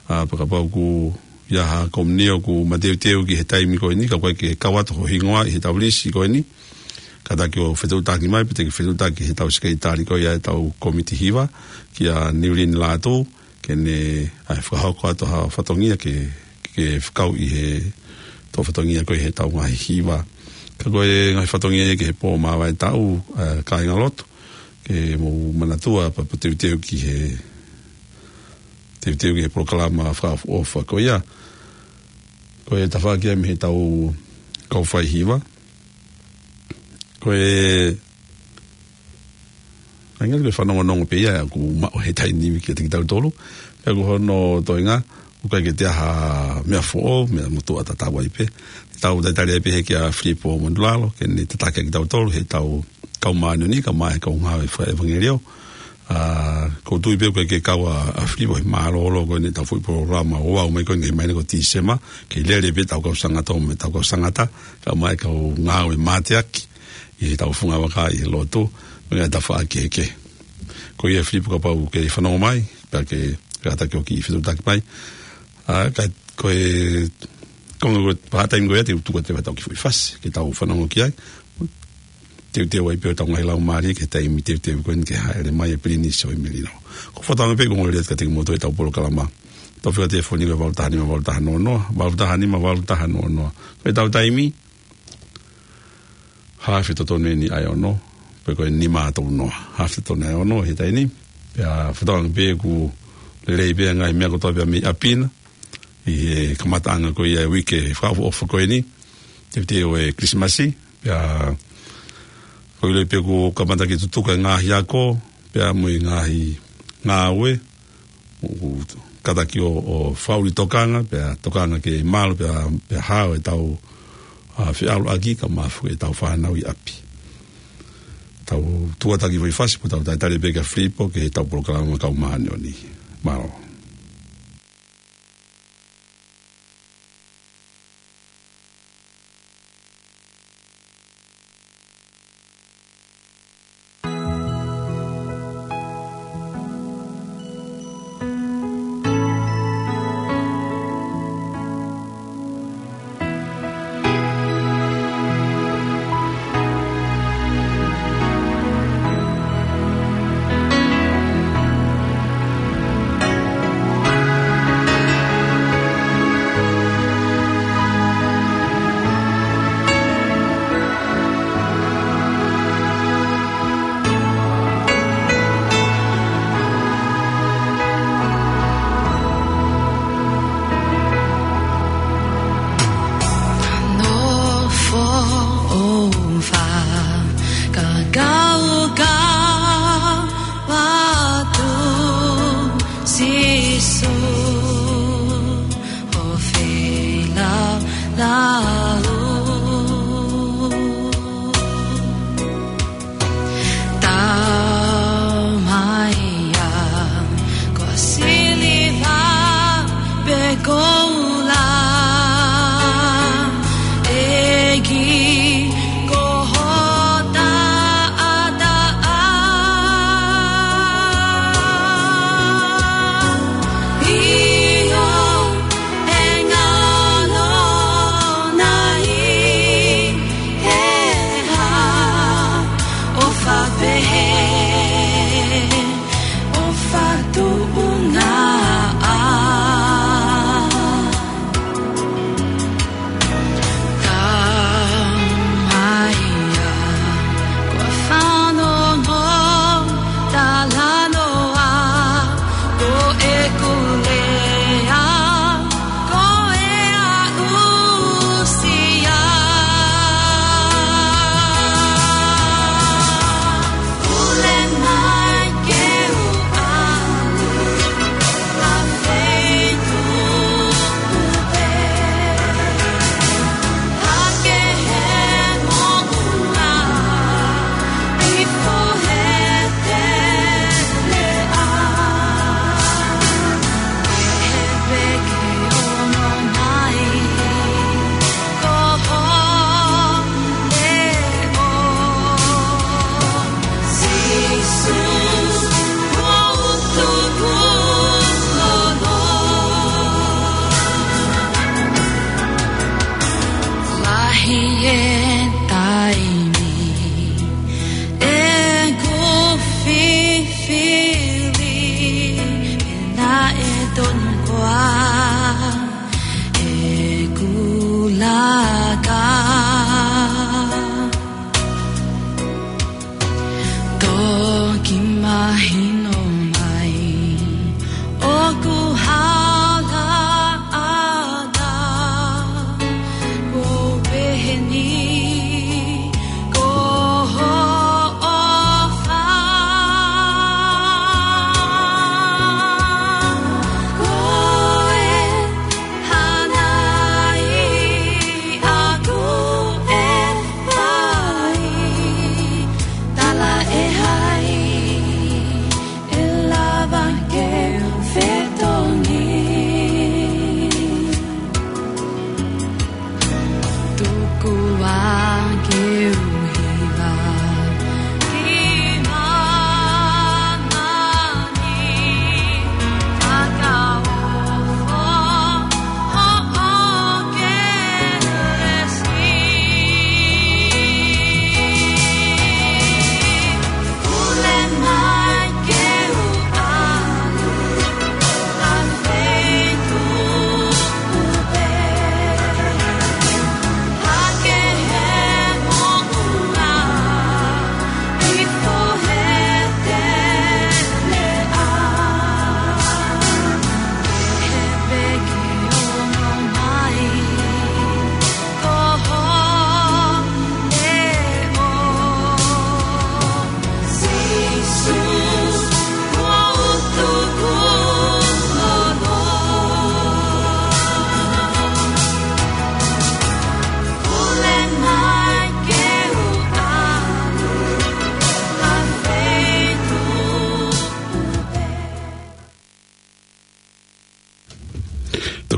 ʻA, pea kapau ʻoku ʻi ai ha komunio ʻoku mateuteu ki he taimi ko eni, ka ʻoku ʻikai ke kau atu ho hingoa ʻi heʻetau lisi ko eni, kātaki ʻo fetuʻutaki mai, pe te ke fetuʻutaki heʻetau sekelitali ko ia ʻetau kōmiti hiva, kia Niulini Lātū, ke ne, ʻa, fakahoko atu ha fatongia ke, ke fakau ʻi he toʻo fatongia ko ia heʻetau ngaahi hiva. Ka ko e ngaahi fatongia ia ki he pō māvae taʻu, ʻa, kāingalotu, ke mou manatua pea, pea teuteu ki he, teuteu ki he polokalama fakaʻofoʻofa ko ia. Ko e tafaʻaki ia mei heʻetau kau fai hiva. Ko e, ʻa ia ko e fanongonongo pē ia ʻoku maʻu he taimi ni kiate kitautolu. Pea ko hono toenga, ʻoku ʻikai ke toe ʻi ai ha meʻa foʻou, meʻa motuʻa tatau ai pē. Tau talitali ai pē he kia Filipo Monulalo, ke ne tataki kitautolu heʻetau kau māʻoniʻoni, kae ʻumaʻā e kau ngāue fakaʻevangeliō. ʻA, ʻoku ou tui pē ʻoku ʻikai ke kau ʻa, ʻa Filipo he mālōlō ko eni ʻetau foʻi polokalama ʻo aʻu mai ko eni ki he māhina ko Tīsema, ke lele pē ʻetau kau sangata mo ʻetau kau sangata, kae ʻumaʻā e kau ngāue mateaki ʻi heʻetau fungavaka ʻi he lotu, mo e ngaahi tafaʻaki kehekehe. Ko ia Filipo kapau ʻoku ke fanongo mai, pea ke kātaki ʻo kiʻi fetuʻutaki mai. ʻA, ka ko e konga ko e part time ko ia te u tuku atu ʻetau kiʻi foʻi fasi, ke tau fanongo ki ai. Teuteu ai pē hotau ngaahi laumālie ki he taimi teuteu ko eni ke hāʻele mai e Pilinisi ʻo e Melino. Ko e fakaʻamu pē ko e ongoongolelei atu kiate kimoutolu heʻetau polokalama. Tau fika telefoni ko e valu taha nima valu taha noa noa, valu taha nima valu taha noa noa. Ko ʻetau taimi, haafe totonu eni ʻa e ono, Pea ko e nima tolu noa. Haafe tonu ʻe ono he taimi ni. Pea fakatauange pē ʻoku lelei pē ngaahi meʻa kotoa pē mei ʻapi na. ʻI he kamataʻanga ko ia e uike fakaʻofoʻofa ko eni. Tefito ʻo e Kilisimasi. Pea ko e lelei pē ʻoku kamata ke tutuka e ngaahi ako. Pea mo e ngaahi ngāue. ʻOku kātaki ʻo, ʻo fakaʻuli tokanga, pea tokanga ke malu, pea, pea hao ʻetau, ʻa, feʻaluʻaki kae ʻumaʻā foki ʻetau fānau ʻi ʻapi. Tau tuʻu atu ki he foʻi fasi, pea tau talitali pē kia Filipo, ki heʻetau polokalama Kau Māʻoniʻoni. Mālō. Nofo ʻo fakakaukau atu Sīsū ʻo feilaulau. Tau mai ia, ko e siliva pe ko e koula, ʻEiki ko ho taʻataʻa. ʻIo, ʻe ngalo nai he hā ʻofa pehē, ʻofa tuʻunga ʻa. Tau mai ia, ko e fanongo talanoa, ko ʻeku lea, ko e aʻusia. Pule mai ke u ʻalu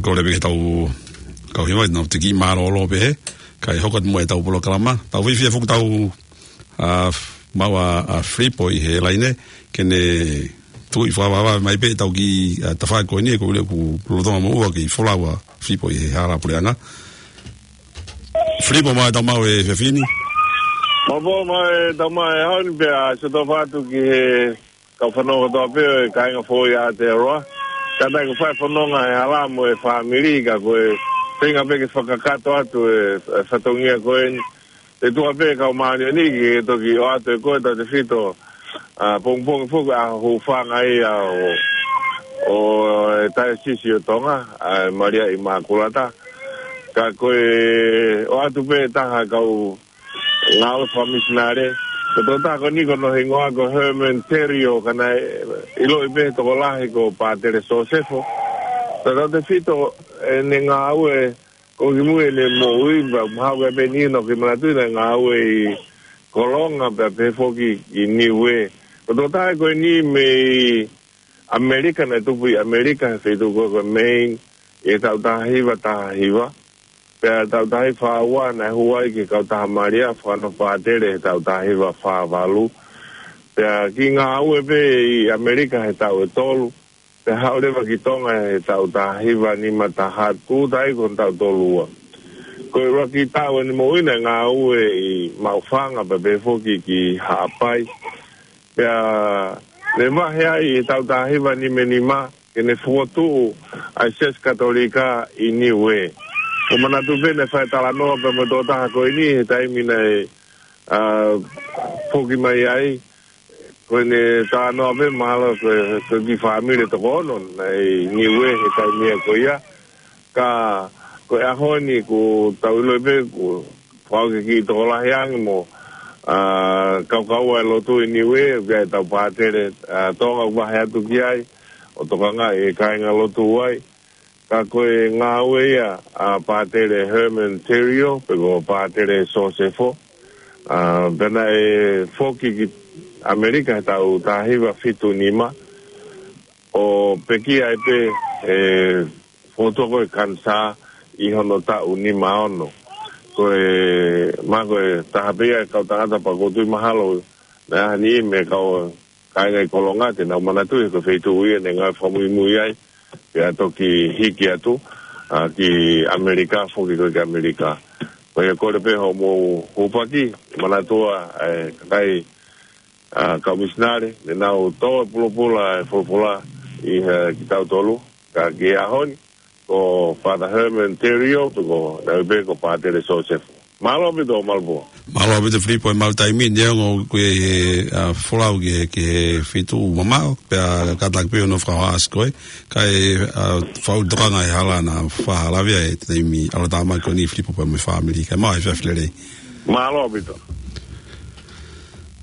Kole pē ke tau kau hiva, nau te kiʻi mālōlō pē he, kae hoko atu mo ʻetau polokalama. Tau fiefia foki tau, a, maʻu ʻa, ʻa Filipo ʻi he laine, ke ne tuʻi fakavavevave mai pē ʻetau kiʻi, a, tafaʻaki ko eni, ko ule ku lolotonga moʻua ke folau ʻa Filipo ʻi he hala puleʻanga. Filipo, mālō e tau maʻu e efiafi ni. Mālō, mālō e tau maʻu e ʻaho ni pea, ʻosi ʻoatu ki he kau fanongo kotoa pē ʻo e kāinga foʻou ʻi Aotearoa. Kātaki ʻoku fai fononga he hala mo e fāmili ka ko e feinga pē ke fakakakato atu e, e fatongia ko eni. Te tuʻa pē kau māʻoniʻoni ke toki ʻoatu ʻe koe tautefito, a, pongipongi foki ʻa e hūfanga ia ʻo, ʻo e Taiosisi ʻo Tonga, ʻa e Malia ʻImākulata. Ka ko e ʻoatu pē taha kau ngāue fakamisinale. Ko e tokotaha ko eni ko hono hingoa ko Herman Terrio, ka naʻe ʻiloʻi pē he tokolahi ko Pātele Sosefo. Ka tautefito ʻene ngāue ko kimui ʻene moʻui, pea mahalo ko e pē eni naʻa ku manatuʻi naʻe ngāue ʻi Kolonga pea pehē foki ʻi Niuē. Ko e tokotaha ko eni mei ʻAmelika, naʻe tupu ʻi ʻAmelika he feituʻu ko ē ko Maine, ʻi he taʻu taha hiva taha hiva. Pea taʻu taha hiva fā ua naʻe hū ai ki he kautaha Malia, fakanofo pātele he taʻu taha hiva fā valu. Pea kiʻi ngāue pē ʻi ʻAmelika he taʻu ʻe tolu. Pea haʻu leva ki Tonga he taʻu taha hiva nima taha, tuʻu ai ko hono taʻu tolu ua. Ko e ʻuluaki taʻu ʻene moʻui naʻe ngāue ʻi Maʻufanga pea pehē foki ki Haʻapai. Pea ne vahe ai ʻi he taʻu taha hiva nima nima, ke ne fokotuʻu ʻa e Siasi Katolika ʻi Niuē. ʻOku ou manatu pē naʻe fai talanoa pē mo e tokotaha ko eni he taimi naʻe, a, foki mai ai. Ko ʻene talanoa pē mahalo ko e, ko e kiʻi fāmili ʻe toko ono naʻe ʻi Niuē he taimi ia ko ia. Ka ko e ʻaho ni ʻoku tau ʻiloʻi pē ʻoku fau ke kiʻi tokolahi ange mo, a, kaukaua e lotu ʻi Niuē, ʻoku ʻi ai ʻetau pātele, a, Tonga ʻoku vahe atu ki ai, ʻo tokangaʻi e kāinga lotu ai. Ka ko e ngāue ia ʻa Pātele Herman Terrio, pe ko Pātele Sosefo, a, pea naʻe foki ki ʻAmelika he taʻu taha hiva fitu nima, ʻo pekia ai pē, e, fokotuʻu ko e kanisā ʻi hono taʻu nima ono. Ko e, ma ko e taha pē ia e kau tangata pea ʻoku ou tui mahalo naʻe ʻi ai ha niʻihi mei he kau kāinga ʻi Kolonga te nau manatuʻi ko e feituʻu ia naʻe ngāue fakamuimui ai, pea toki hiki atu, a, ki ʻAmelika, foki ko ē ki ʻAmelika. Ko ia kole pē hoʻomou hūfaki, manatua, e, kakai, a, kau misinale, ne nau tō e pulopula, e folofola, ʻi he kitautolu, ka ki he ʻaho ni, ko Father Herman Terrio, pe ko, naʻe pehē ko Pātele Sosefo. Mālō ʻaupito, Malvo. Mālō ʻaupito Filipo, e malu taimi, neongo ʻoku ʻi ai e, a, folau ki he, ki he feituʻu mamaʻo, pea kātaki pē hono fakahohaʻasi koe, kae, a, fau tokanga he hala naʻa faʻa lave ai he taimi ʻalu atu mai ko eni Filipo pea mo e fāmili, kae maʻu e efiafi lelei. Mālō ʻaupito.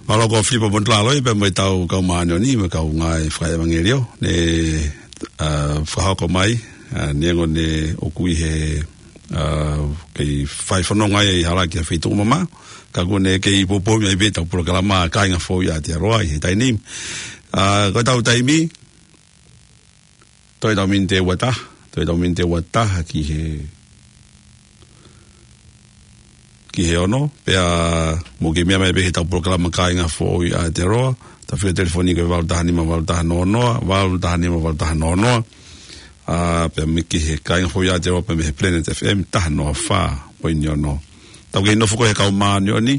Mālō ko Filipo Montalalo ia pea mo ʻetau kau māʻoniʻoni, mo e kau ngāue fakaʻevangeliō, ne, a, fakahoko mai, a, neongo ne ʻoku ʻi he, a, kei fai fononga ia ʻi hala ki ha feituʻu mamaʻo, ka ʻoku ne kei poupou mai pē ʻetau polokalama Kāinga Foʻou ʻi Aotearoa ʻi he taimi ni. A, ko ʻetau taimi, toe ʻetau miniti ʻe ua taha, toe ʻetau miniti ʻe ua taha ki he, ki he ono, pea mou kei meʻa mai pē ki heʻetau polokalama Kāinga Foʻou ʻi Aotearoa, taʻu telefoni ko e valu taha nima valu taha noa noa, valu taha nima valu taha noa noa, a, pea mou ki he Kāinga Foʻou ʻi Aotearoa pea mei he Planet F M taha noa fā poini ono. Tau kei nofo ko ē he kau māʻoniʻoni,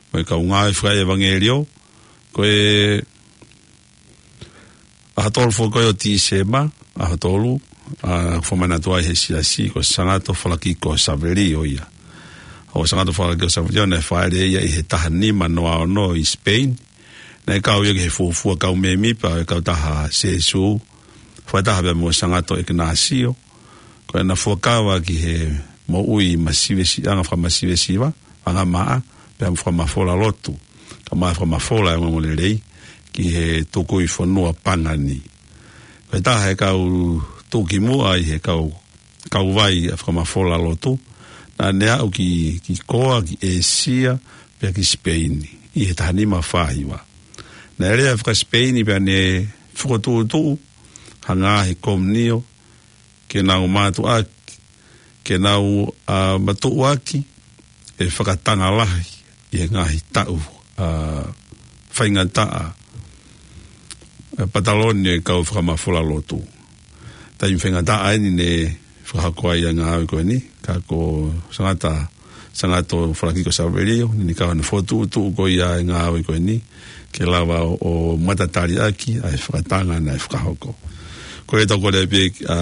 mo e kau ngāue fakaʻevangeliō, ko e ʻaho tolu foki ko ē ʻo Tīsema, ʻaho tolu, a, fakamanatu ai he siasi ko Sangato Falakiko Savelio ia. ʻO Sangato Falakiko Savelio naʻe fāʻeleʻi ia ʻi he taha nima noa ono ʻi Spain. Naʻe kau ia ki he fuofua kau mēmipa ʻo e kautaha Sēsū, fakataha pea mo Sangato ʻIkināsio. Ko ʻena fuakava ki he moʻui masivesiʻanga fakamasivesiva, angamaʻa, pea mo e fakamafola lotu, kae ʻumaʻā e fakamafola ʻo e ongoongolelei ki he tukui fonua Pangani. Ko e taha e kau tuʻukimuʻa ʻi he kau, kauvai ʻa e fakamafola lotu, naʻa ne aʻu ki, ki Koa, ki ʻĒsia, pea ki Sipeini, ʻi he taha nima fā hiva. Naʻe lea fakasipeini pea ne fokotuʻutuʻu ha ngaahi komiunio, ke nau mātuʻaki, ke nau, ā, matuʻuaki ʻe fakatanga lahi ʻi he ngaahi taʻu, ā, faingataʻa, ā, pataloni e kau fakamafola lotu. Taimi faingataʻa eni ne fakahoko ai ʻa e ngāue ko eni, ka ko Sangata, Sangato Falakiko Savelio, ne ne kau ʻi he fokotuʻutuʻu ko ia e ngāue ko eni, ke lava ʻo, ʻo matatali ʻaki ʻa e fakatanga naʻe fakahoko. Ko e tau kole pē, ā,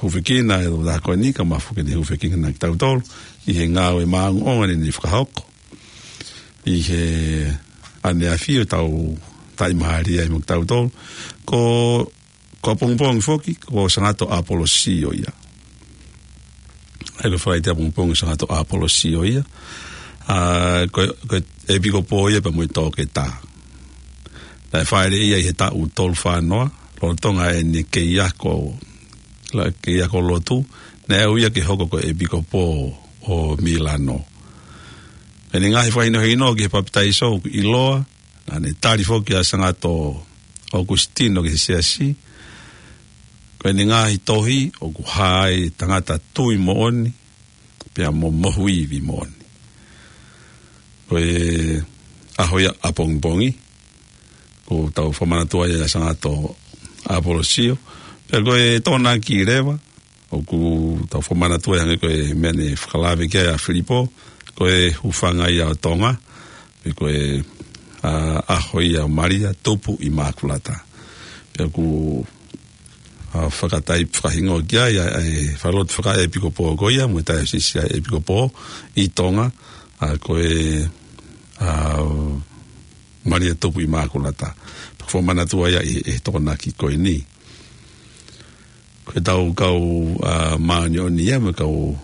hūfekina e tau ko eni, ka mafu ke ne hūfekina kitautolu ʻi he ngāue māʻongoʻonga ne ne fakahoko ʻi he ʻaneafi ʻo tau taʻimālie ai mo kitautolu. Ko, ko ʻapongipongi foki, ko Sangato ʻApolosio ia. ʻA ia ko e Falaite ʻapongipongi Sangato ʻApolosio ia. Ā, ko, ko e ʻepikopō ia pea mo e toketā. Naʻe fāʻeleʻi ia ʻi he taʻu tolu fā noa, lolotonga ʻene kei ako, la, kei ako lotu, naʻe ui ia ke hoko ko e ʻepikopō ʻo Milano. Pea ʻi heʻene ngaahi fakahinohino ki he papitaiso ʻoku ʻiloa, naʻa ne tali foki ʻa Sangato ʻAukusitino ki he siasi, ko ʻene ngaahi tohi ʻoku hā ai e tangata tui moʻoni, pea mo mohu ivi moʻoni. Ko e ʻaho ia ʻapongipongi, ko ʻetau fakamanatua ia ʻa Sangato ʻApolosio, pea ko e Tokonaki leva, ʻoku tau fakamanatua ia hangē ko e meʻa ne fakalave ki ai ʻa Filipo, ko e hūfanga ia ʻo Tonga, pe ko e, ā, ʻaho ia ʻo Malia, Tupu ʻImakulata. Pea ʻoku, ā, fakatai, fakahingoa ki ai, ā, ʻa e falelotu fakaʻepikopō ko ia, mo e taiosisi ʻa e ʻepikopō ʻi Tonga, ā, ko e, ā, Malia Tupu ʻImakulata. Pea ʻoku fakamanatua ia ʻi he, he Tokonaki ko eni. Ko ʻetau kau, ā, māʻoniʻoni ia mo e kau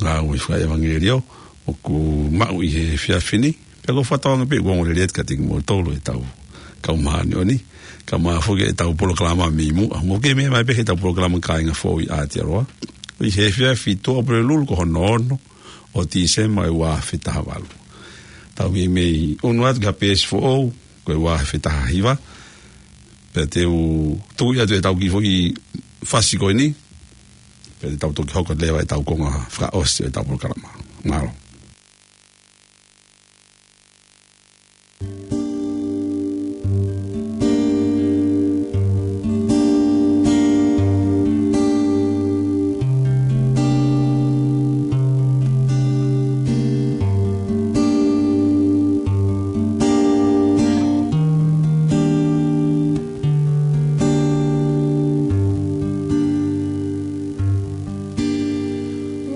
ngāue fakaʻevangeliō ʻoku maʻu ʻi he efiafi ni. Pea ʻoku ou fakatauange pē ʻoku ongo lelei atu kiate kimoutolu ʻetau kau māʻoniʻoni. Kae ʻumaʻā foki ʻetau polokalama mei muʻa. Mou kei meʻa mai pē heʻetau polokalama Kāinga Foʻou ʻi Aotearoa ʻi he efiafi Tuʻapulelulu ko hono ono ʻo Tīsema ʻo e ua afe taha valu. Tau meimei ʻunu atu ki ha peesi foʻou, ko e ua afe taha hiva. Pea te u tuʻu atu ʻetau kiʻi foʻi fasi ko eni, pea te tau toki hoko leva ʻetau konga fakaʻosi ʻetau polokalama. Mālō.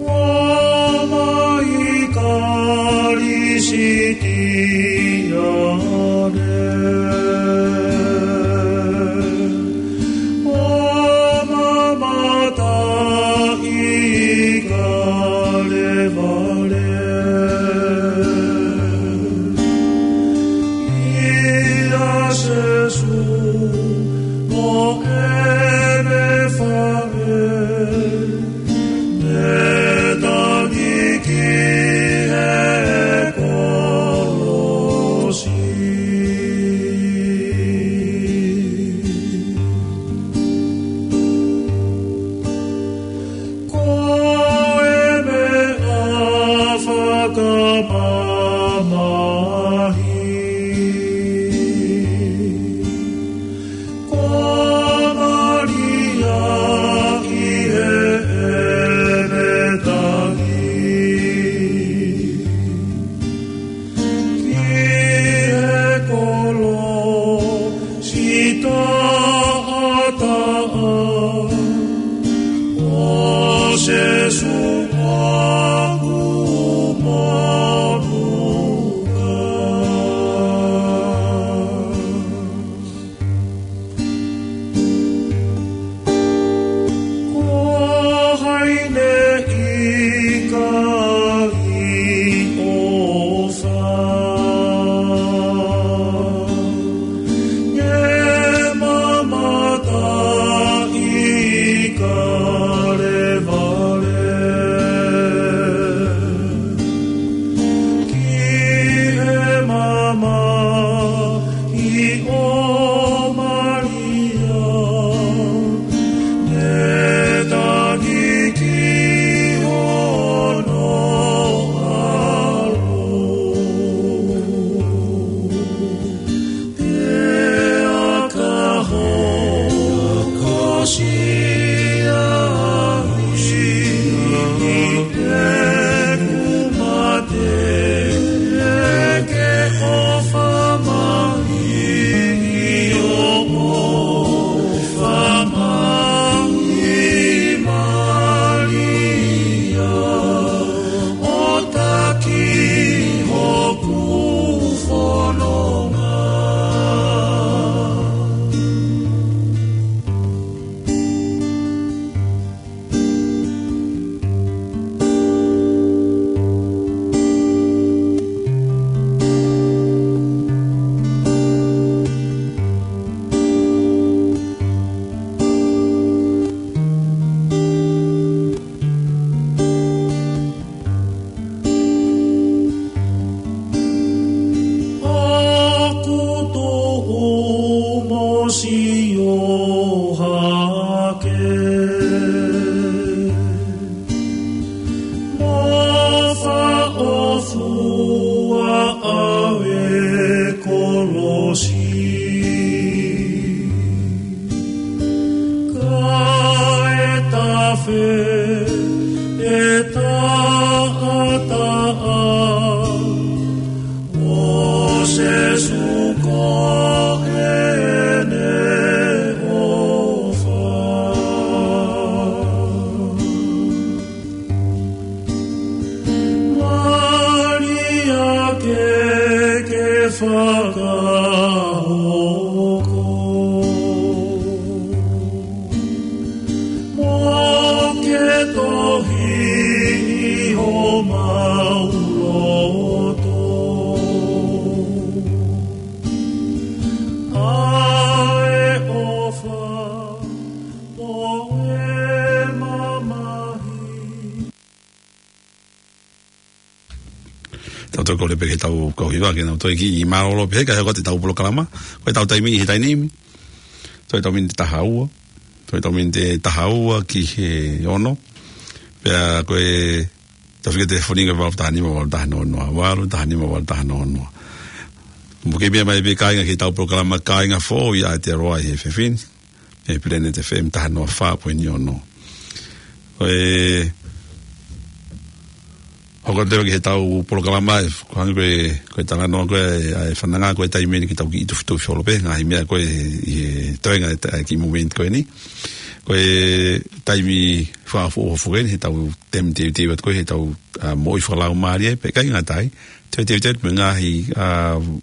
Roma i Kalisitiane. Roma mata i Kalevale. ʻIa Sēsū mo ʻene fale. Ne tangi ki he kolosi. Ko e meʻa fakamamahi. Ko Malia ʻi heʻene tangi ki he kolosi taʻataʻa ʻo Sēsū ʻoku monūʻia. Ko hai ne ʻikai ʻofa, ne mamata ʻi Kalevale. Afe e taʻataʻa ʻo Sīsū ko ʻene ʻofa. Maria ke ke fakahoko mo ke tohi ʻi homau loto ʻa e ʻofa mo e mamahi. Tau toe kole pē ke tau kau hiva ke nau toe kiʻi mālōlō pē he ka he ko ʻetau polokalama. Ko ʻetau taimi ʻi he taimi ni. Toe ʻetau miniti taha ua. Toe ʻetau miniti taha ua ki he ono. Pea ko e tau fika telefoni ko e valu taha nima valu taha noa noa. Valu taha nima valu taha noa noa. Mo ke meʻa mai pē kāinga ki heʻetau polokalama kāinga foʻou ʻi Aotearoa ʻi he efiafi ni. ʻI he Planet F M taha noa fā poini ono. Ko e hoko atu ki heʻetau polokalama ē, ko e hangē ko e, ko e talanoa ko ē ʻa e fananga ko e taimi ni ke tau kiʻi tufitufi holo pē, ngaahi meʻa ko ē ʻi he toenga ʻa e ta-, ʻa e kiʻi movement ko eni. Ko e taimi fakaʻofoʻofa foki eni heʻetau taimi teuteu atu ko ē heʻetau, ʻa, moʻui fakalaumālie, pea ʻikai ngata ai, teuteu atu mo e ngaahi, ʻa,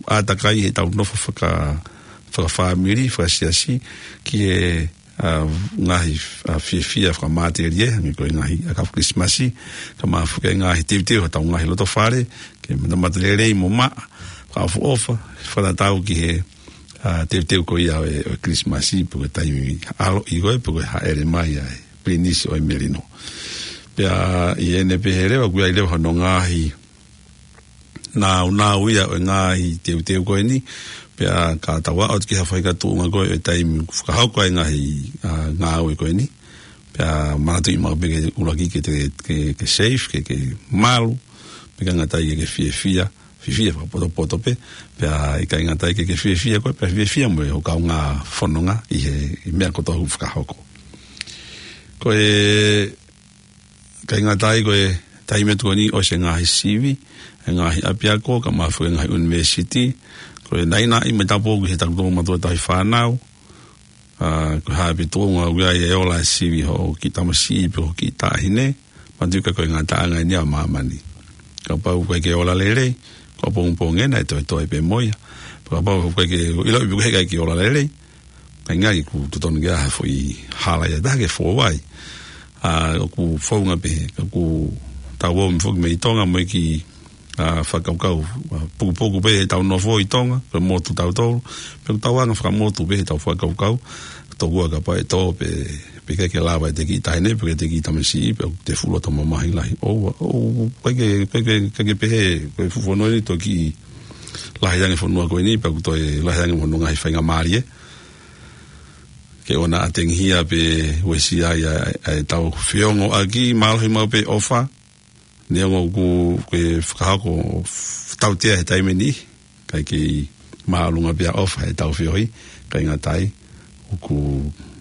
ʻātakai heʻetau nofo faka-, fakafāmili, fakasiasi, ki he, ʻa, ngaahi, ʻa, fiefia fakamatelie, hangē ko e ngaahi ʻakau Kilisimasi, kae ʻumaʻā foki e ngaahi teuteu ʻa hotau ngaahi loto fale, ke matamata lelei mo maʻa, fakaʻofoʻofa, fakatatau ki he, ʻa, teuteu ko ia ʻo e, ʻo e Kilisimasi, pe ko e taimi ʻaloʻi ko ē, pe ko e hāʻele mai ʻa e Pilinisi ʻo e Melino. Pea ʻi heʻene pehē leva, ʻoku ʻi ai leva hono ngaahi nāunau ia ʻo e ngaahi teuteu ko eni, pea ka tau aʻu atu ki ha faʻahinga tuʻunga ko ē ʻo e taimi fakahoko ai e ngaahi, ʻa, ngāue ko eni, pea manatuʻi maʻu pē ke ʻuluaki ke te, ke, ke safe, ke, ke malu, pea ʻikai ngata ai ke, ke fiefia, fiefia fakapotopoto pē, pea ʻikai ngata ai ke, ke fiefia koe, pea fiefia mo e hoʻo kaungā fononga ʻi he, ʻi he meʻa kotoa ʻoku fakahoko. Ko e ʻikai ngata ai ko e taimi atu ko eni ʻosi e ngaahi sivi, e ngaahi ʻapiako, kae ʻumaʻā foki e ngaahi ʻunivēsiti, ko e naʻinaʻi mo e tāpuaki he taku toʻomataʻu tauhi fānau, ʻa, ko e hā pē tuʻunga ʻoku ʻi ai e ola e sivi hoʻo kiʻi tamasiʻi pe hoʻo kiʻi taʻahine, manatuʻi ka ko e ngataʻanga eni ʻa māmani. Kapau ʻoku ʻikai ke ola lelei, ko e pongipongi ena ʻe toetoe pē mo ia. Kapau ʻoku ʻikai ke ʻiloʻi pe ʻoku ʻikai ke ola lelei, kae ngaahi ʻoku totonu ke ʻi ai ha foʻi hala ia ʻe taha ke fou ai. ʻA, ʻoku founga pē, ʻoku tau ō mai foki mei Tonga, mo e kiʻi, ʻa, fakakaukau, ʻa, pukupuku pē heʻetau nofo ʻi Tonga, ko e motu tautolu, pea ʻoku tau anga fakamotu pē heʻetau fakakaukau, tokua kapau ʻe tō pē, pe ʻikai ke lava ʻete kiʻi taʻahine, pe ʻete kiʻi tamasiʻi, pea ʻoku te fuʻu loto mamahi lahi. ʻOua, ʻoku ʻikai ke, ʻikai ke, ʻikai ke pehē, ko e fuʻu fonua ni toki lahi ange fonua ko eni, pea ʻoku toe lahi ange mo hono ngaahi faingamālie. Ke ʻoua naʻa tengihia pe uesia ai ʻa, ʻa ʻetau feongoʻaki, mālohi maʻu pē ʻofa, neongo ʻoku ke fakahoko tautea he taimi ni, kae kei māʻolunga pē ʻa e ʻofa heʻetau feohi, ʻikai ngata ai, ʻoku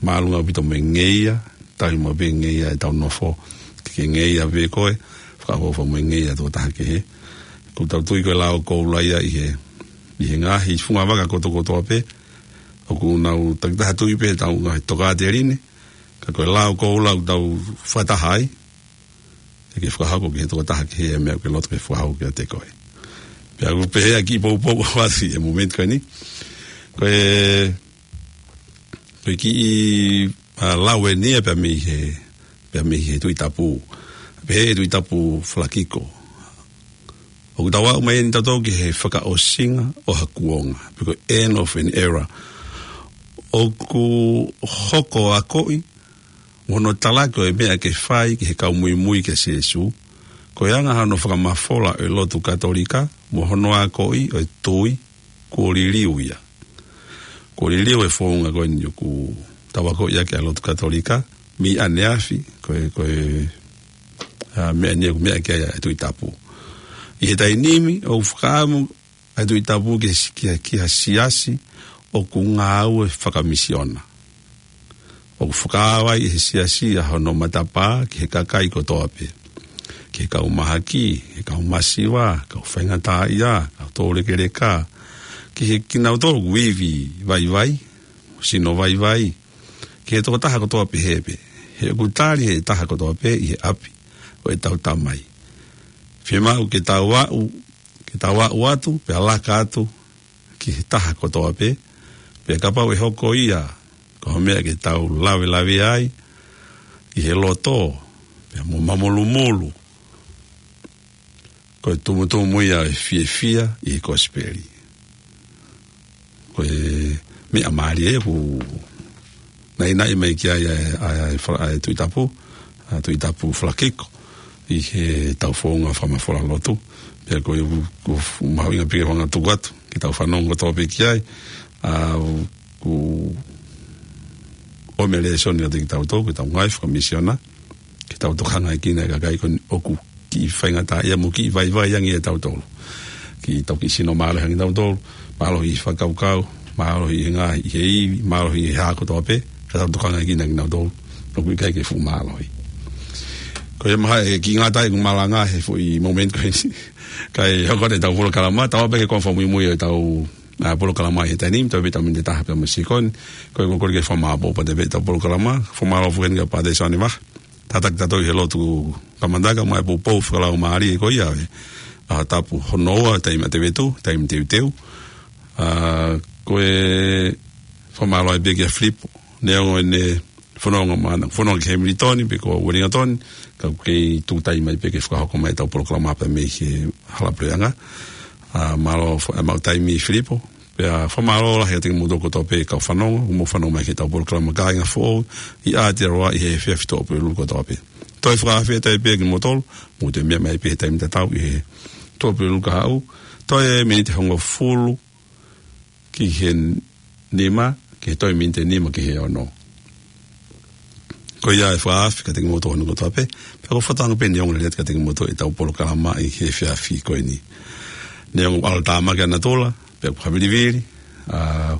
māʻolunga ʻaupito mo e ngeia, tauhi maʻu pē ngeia ʻetau nofo, ke ke ngeia pē koe, fakaʻofoʻofa mo e ngeia ʻa e tokotaha kehe. ʻOku tau tui ko e lao koula ia ʻi he, ʻi he ngaahi fungavaka kotokotoa pē, ʻoku nau takitaha tui pē heʻetau ngaahi tokāteline, ka ko e lao koula ʻoku tau fakataha ai, ʻe ke fakahoko ki he tokotaha kehe e meʻa ʻoku ke loto ke fakahoko kiate koe. Pea ʻoku pehē ʻa e kiʻi poupou ʻoku ʻasi he movement ko eni. Ko e, ko e kiʻi, ʻa, lau eni ia pea mei he, pea mei he Tuʻi Tapu. Pehē ʻe he Tuʻi Tapu Falakiko. ʻOku tau aʻu mai eni tautolu ki he fakaʻosinga ʻo ha kuonga, pe ko e end of an era. ʻOku hoko ʻa e akoʻi, mo hono talaki ʻo e meʻa ke fai ki he kau muimui kia Sīsū, ko e anga hono fakamafola ʻo e lotu Katolika, mo hono akoʻi ʻo e tui, kuo liliu ia. Kuo liliu e founga ko eni ʻoku tau akoʻi ʻaki ʻa e lotu Katolika, mei ʻaneafi, ko e, ko e, ʻa, meʻa ni ʻoku meʻa ki ai ʻa e Tuʻi Tapu. ʻI he taimi ni, ʻoku fakaʻamu ʻa e Tuʻi Tapu ki he si-, ki he, ki he siasi ʻoku ngāue fakamisiona. ʻoku fakaava ai ʻe he siasi ʻa hono matapā ki he kakai kotoa pē. Ki he kau mahaki, ki he kau masiva, kau faingataʻaʻia, kau toulekeleka, ki he kinautolu ʻoku ivi vaivai, sino vaivai, ki he tokotaha kotoa pē he pē. He ʻoku tali ʻe he taha kotoa pē ʻi he ʻapi ʻo ʻetau Tamai. Fiemaʻu ke tau aʻu, ke tau aʻu atu, pea laka atu, ki he taha kotoa pē, pea kapau ʻe hoko ia, ko ha meʻa ke tau lavelave ai, ʻi he loto, pea mo mamolumolu, ko e tumutumu ia ʻo e fiefia ʻi he kosipeli. Ko e meʻa mālie ʻoku naʻinaʻi mai ki ai ʻa e, ʻa e, ʻa e, ʻa e Tuʻi Tapu, ʻa e Tuʻi Tapu Falakiko, ʻi heʻetau founga fakamafola lotu. Pea ko e ʻoku, ʻoku mahuʻinga pē ke u hanga ʻo tuku atu, ke tau fanongo kotoa pē ki ai, ʻa, ʻoku ʻomai e lēsoni kiate kitautolu, ke tau ngāue fakamisiona, ke tau tokangaʻi kinautolu e kakai ko eni ʻoku kiʻi faingataʻaʻia mo kiʻi vaivai ange ʻia tautolu. Ke tau kiʻi sino mālohi ange tautolu, mālohi ʻi he fakakaukau, mālohi ʻi he ngaahi, ʻi he ivi, mālohi ʻi he hā kotoa pē, ka tau tokangaʻi kinautolu, ʻoku ʻikai ke fuʻu mālohi. Ko ia mahalo ʻe kiʻi ngata ʻeku malanga he foʻi momeniti ko eni. Kae hoko atu ʻetau polokalama, tau ō pē ki he konga fakamuimui ʻo ʻetau, ʻa, polokalama ʻi he taimi ni, tau pē ʻetau miniti ʻe taha pē mo e sekoni, ko e kole ke fakamāʻopoʻopo atu pē ʻetau polokalama, fakamālō foki eni kia Pātele Sione Vaha. Tataki tautolu ʻi he lotu kamata, kae ʻumaʻā e poupou fakalaumālie ko ia ʻo e ʻaho tapu hono ua, taimi ʻa Tevetu, taimi teuteu. ʻA, ko e fakamālō ai pē kia Filipo, neongo ʻene fononga maʻana, fononga ki Hemilitoni, pe ko Uelingatoni, ka ʻoku kei tuku taimi mai pē ke fakahoko mai ʻetau polokalama pē mei he hala puleʻanga. ʻA, mālō fo-, ʻemau taimi Filipo, pea fakamālō lahi atu kiate kimoutolu kotoa pē kau fanongo, ʻoku mou fanongo mai ki heʻetau polokalama Kāinga Foʻou, ʻi Aotearoa ʻi he efiafi Tuʻapulelulu kotoa pē. Toe fakaafe atu pē kimoutolu, mou toe meʻa mai pē he taimi tatau ʻi he Tuʻapulelulu kahaʻu, toe miniti hongofulu ki he nima, ki he toe miniti ʻe nima ki he ono. Ko ia e fakaafe kiate kimoutolu hono kotoa pē, pea ʻoku ou fakatauange pē ʻe ongo lelei atu kiate kimoutolu ʻetau polokalama ʻi he efiafi ko eni. Neongo ʻoku ʻalu tāmaki ʻa natula, pea ʻoku havilivili, ʻa,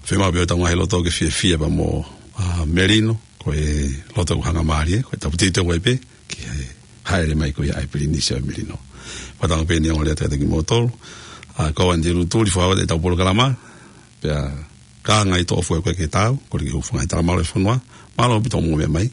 fiemaʻu pē ʻetau ngaahi loto ke fiefia pea mo, ʻa, melino, ko e loto ʻoku hangamālie, ko e tapu teuteu ai pē, ki he hāʻele mai ko ia ʻa e Pilinisi ʻo e Melino. Fakatauange pē ʻe ongo lelei atu kiate kimoutolu, ʻa, ko Anti Lutuli, fakaafe atu ʻetau polokalama, pea kāinga ʻi he toʻo fue ko e ke tau, ko e ke hūfanga he tala mālō e fonua, mālō ʻaupito hoʻomou meʻa mai,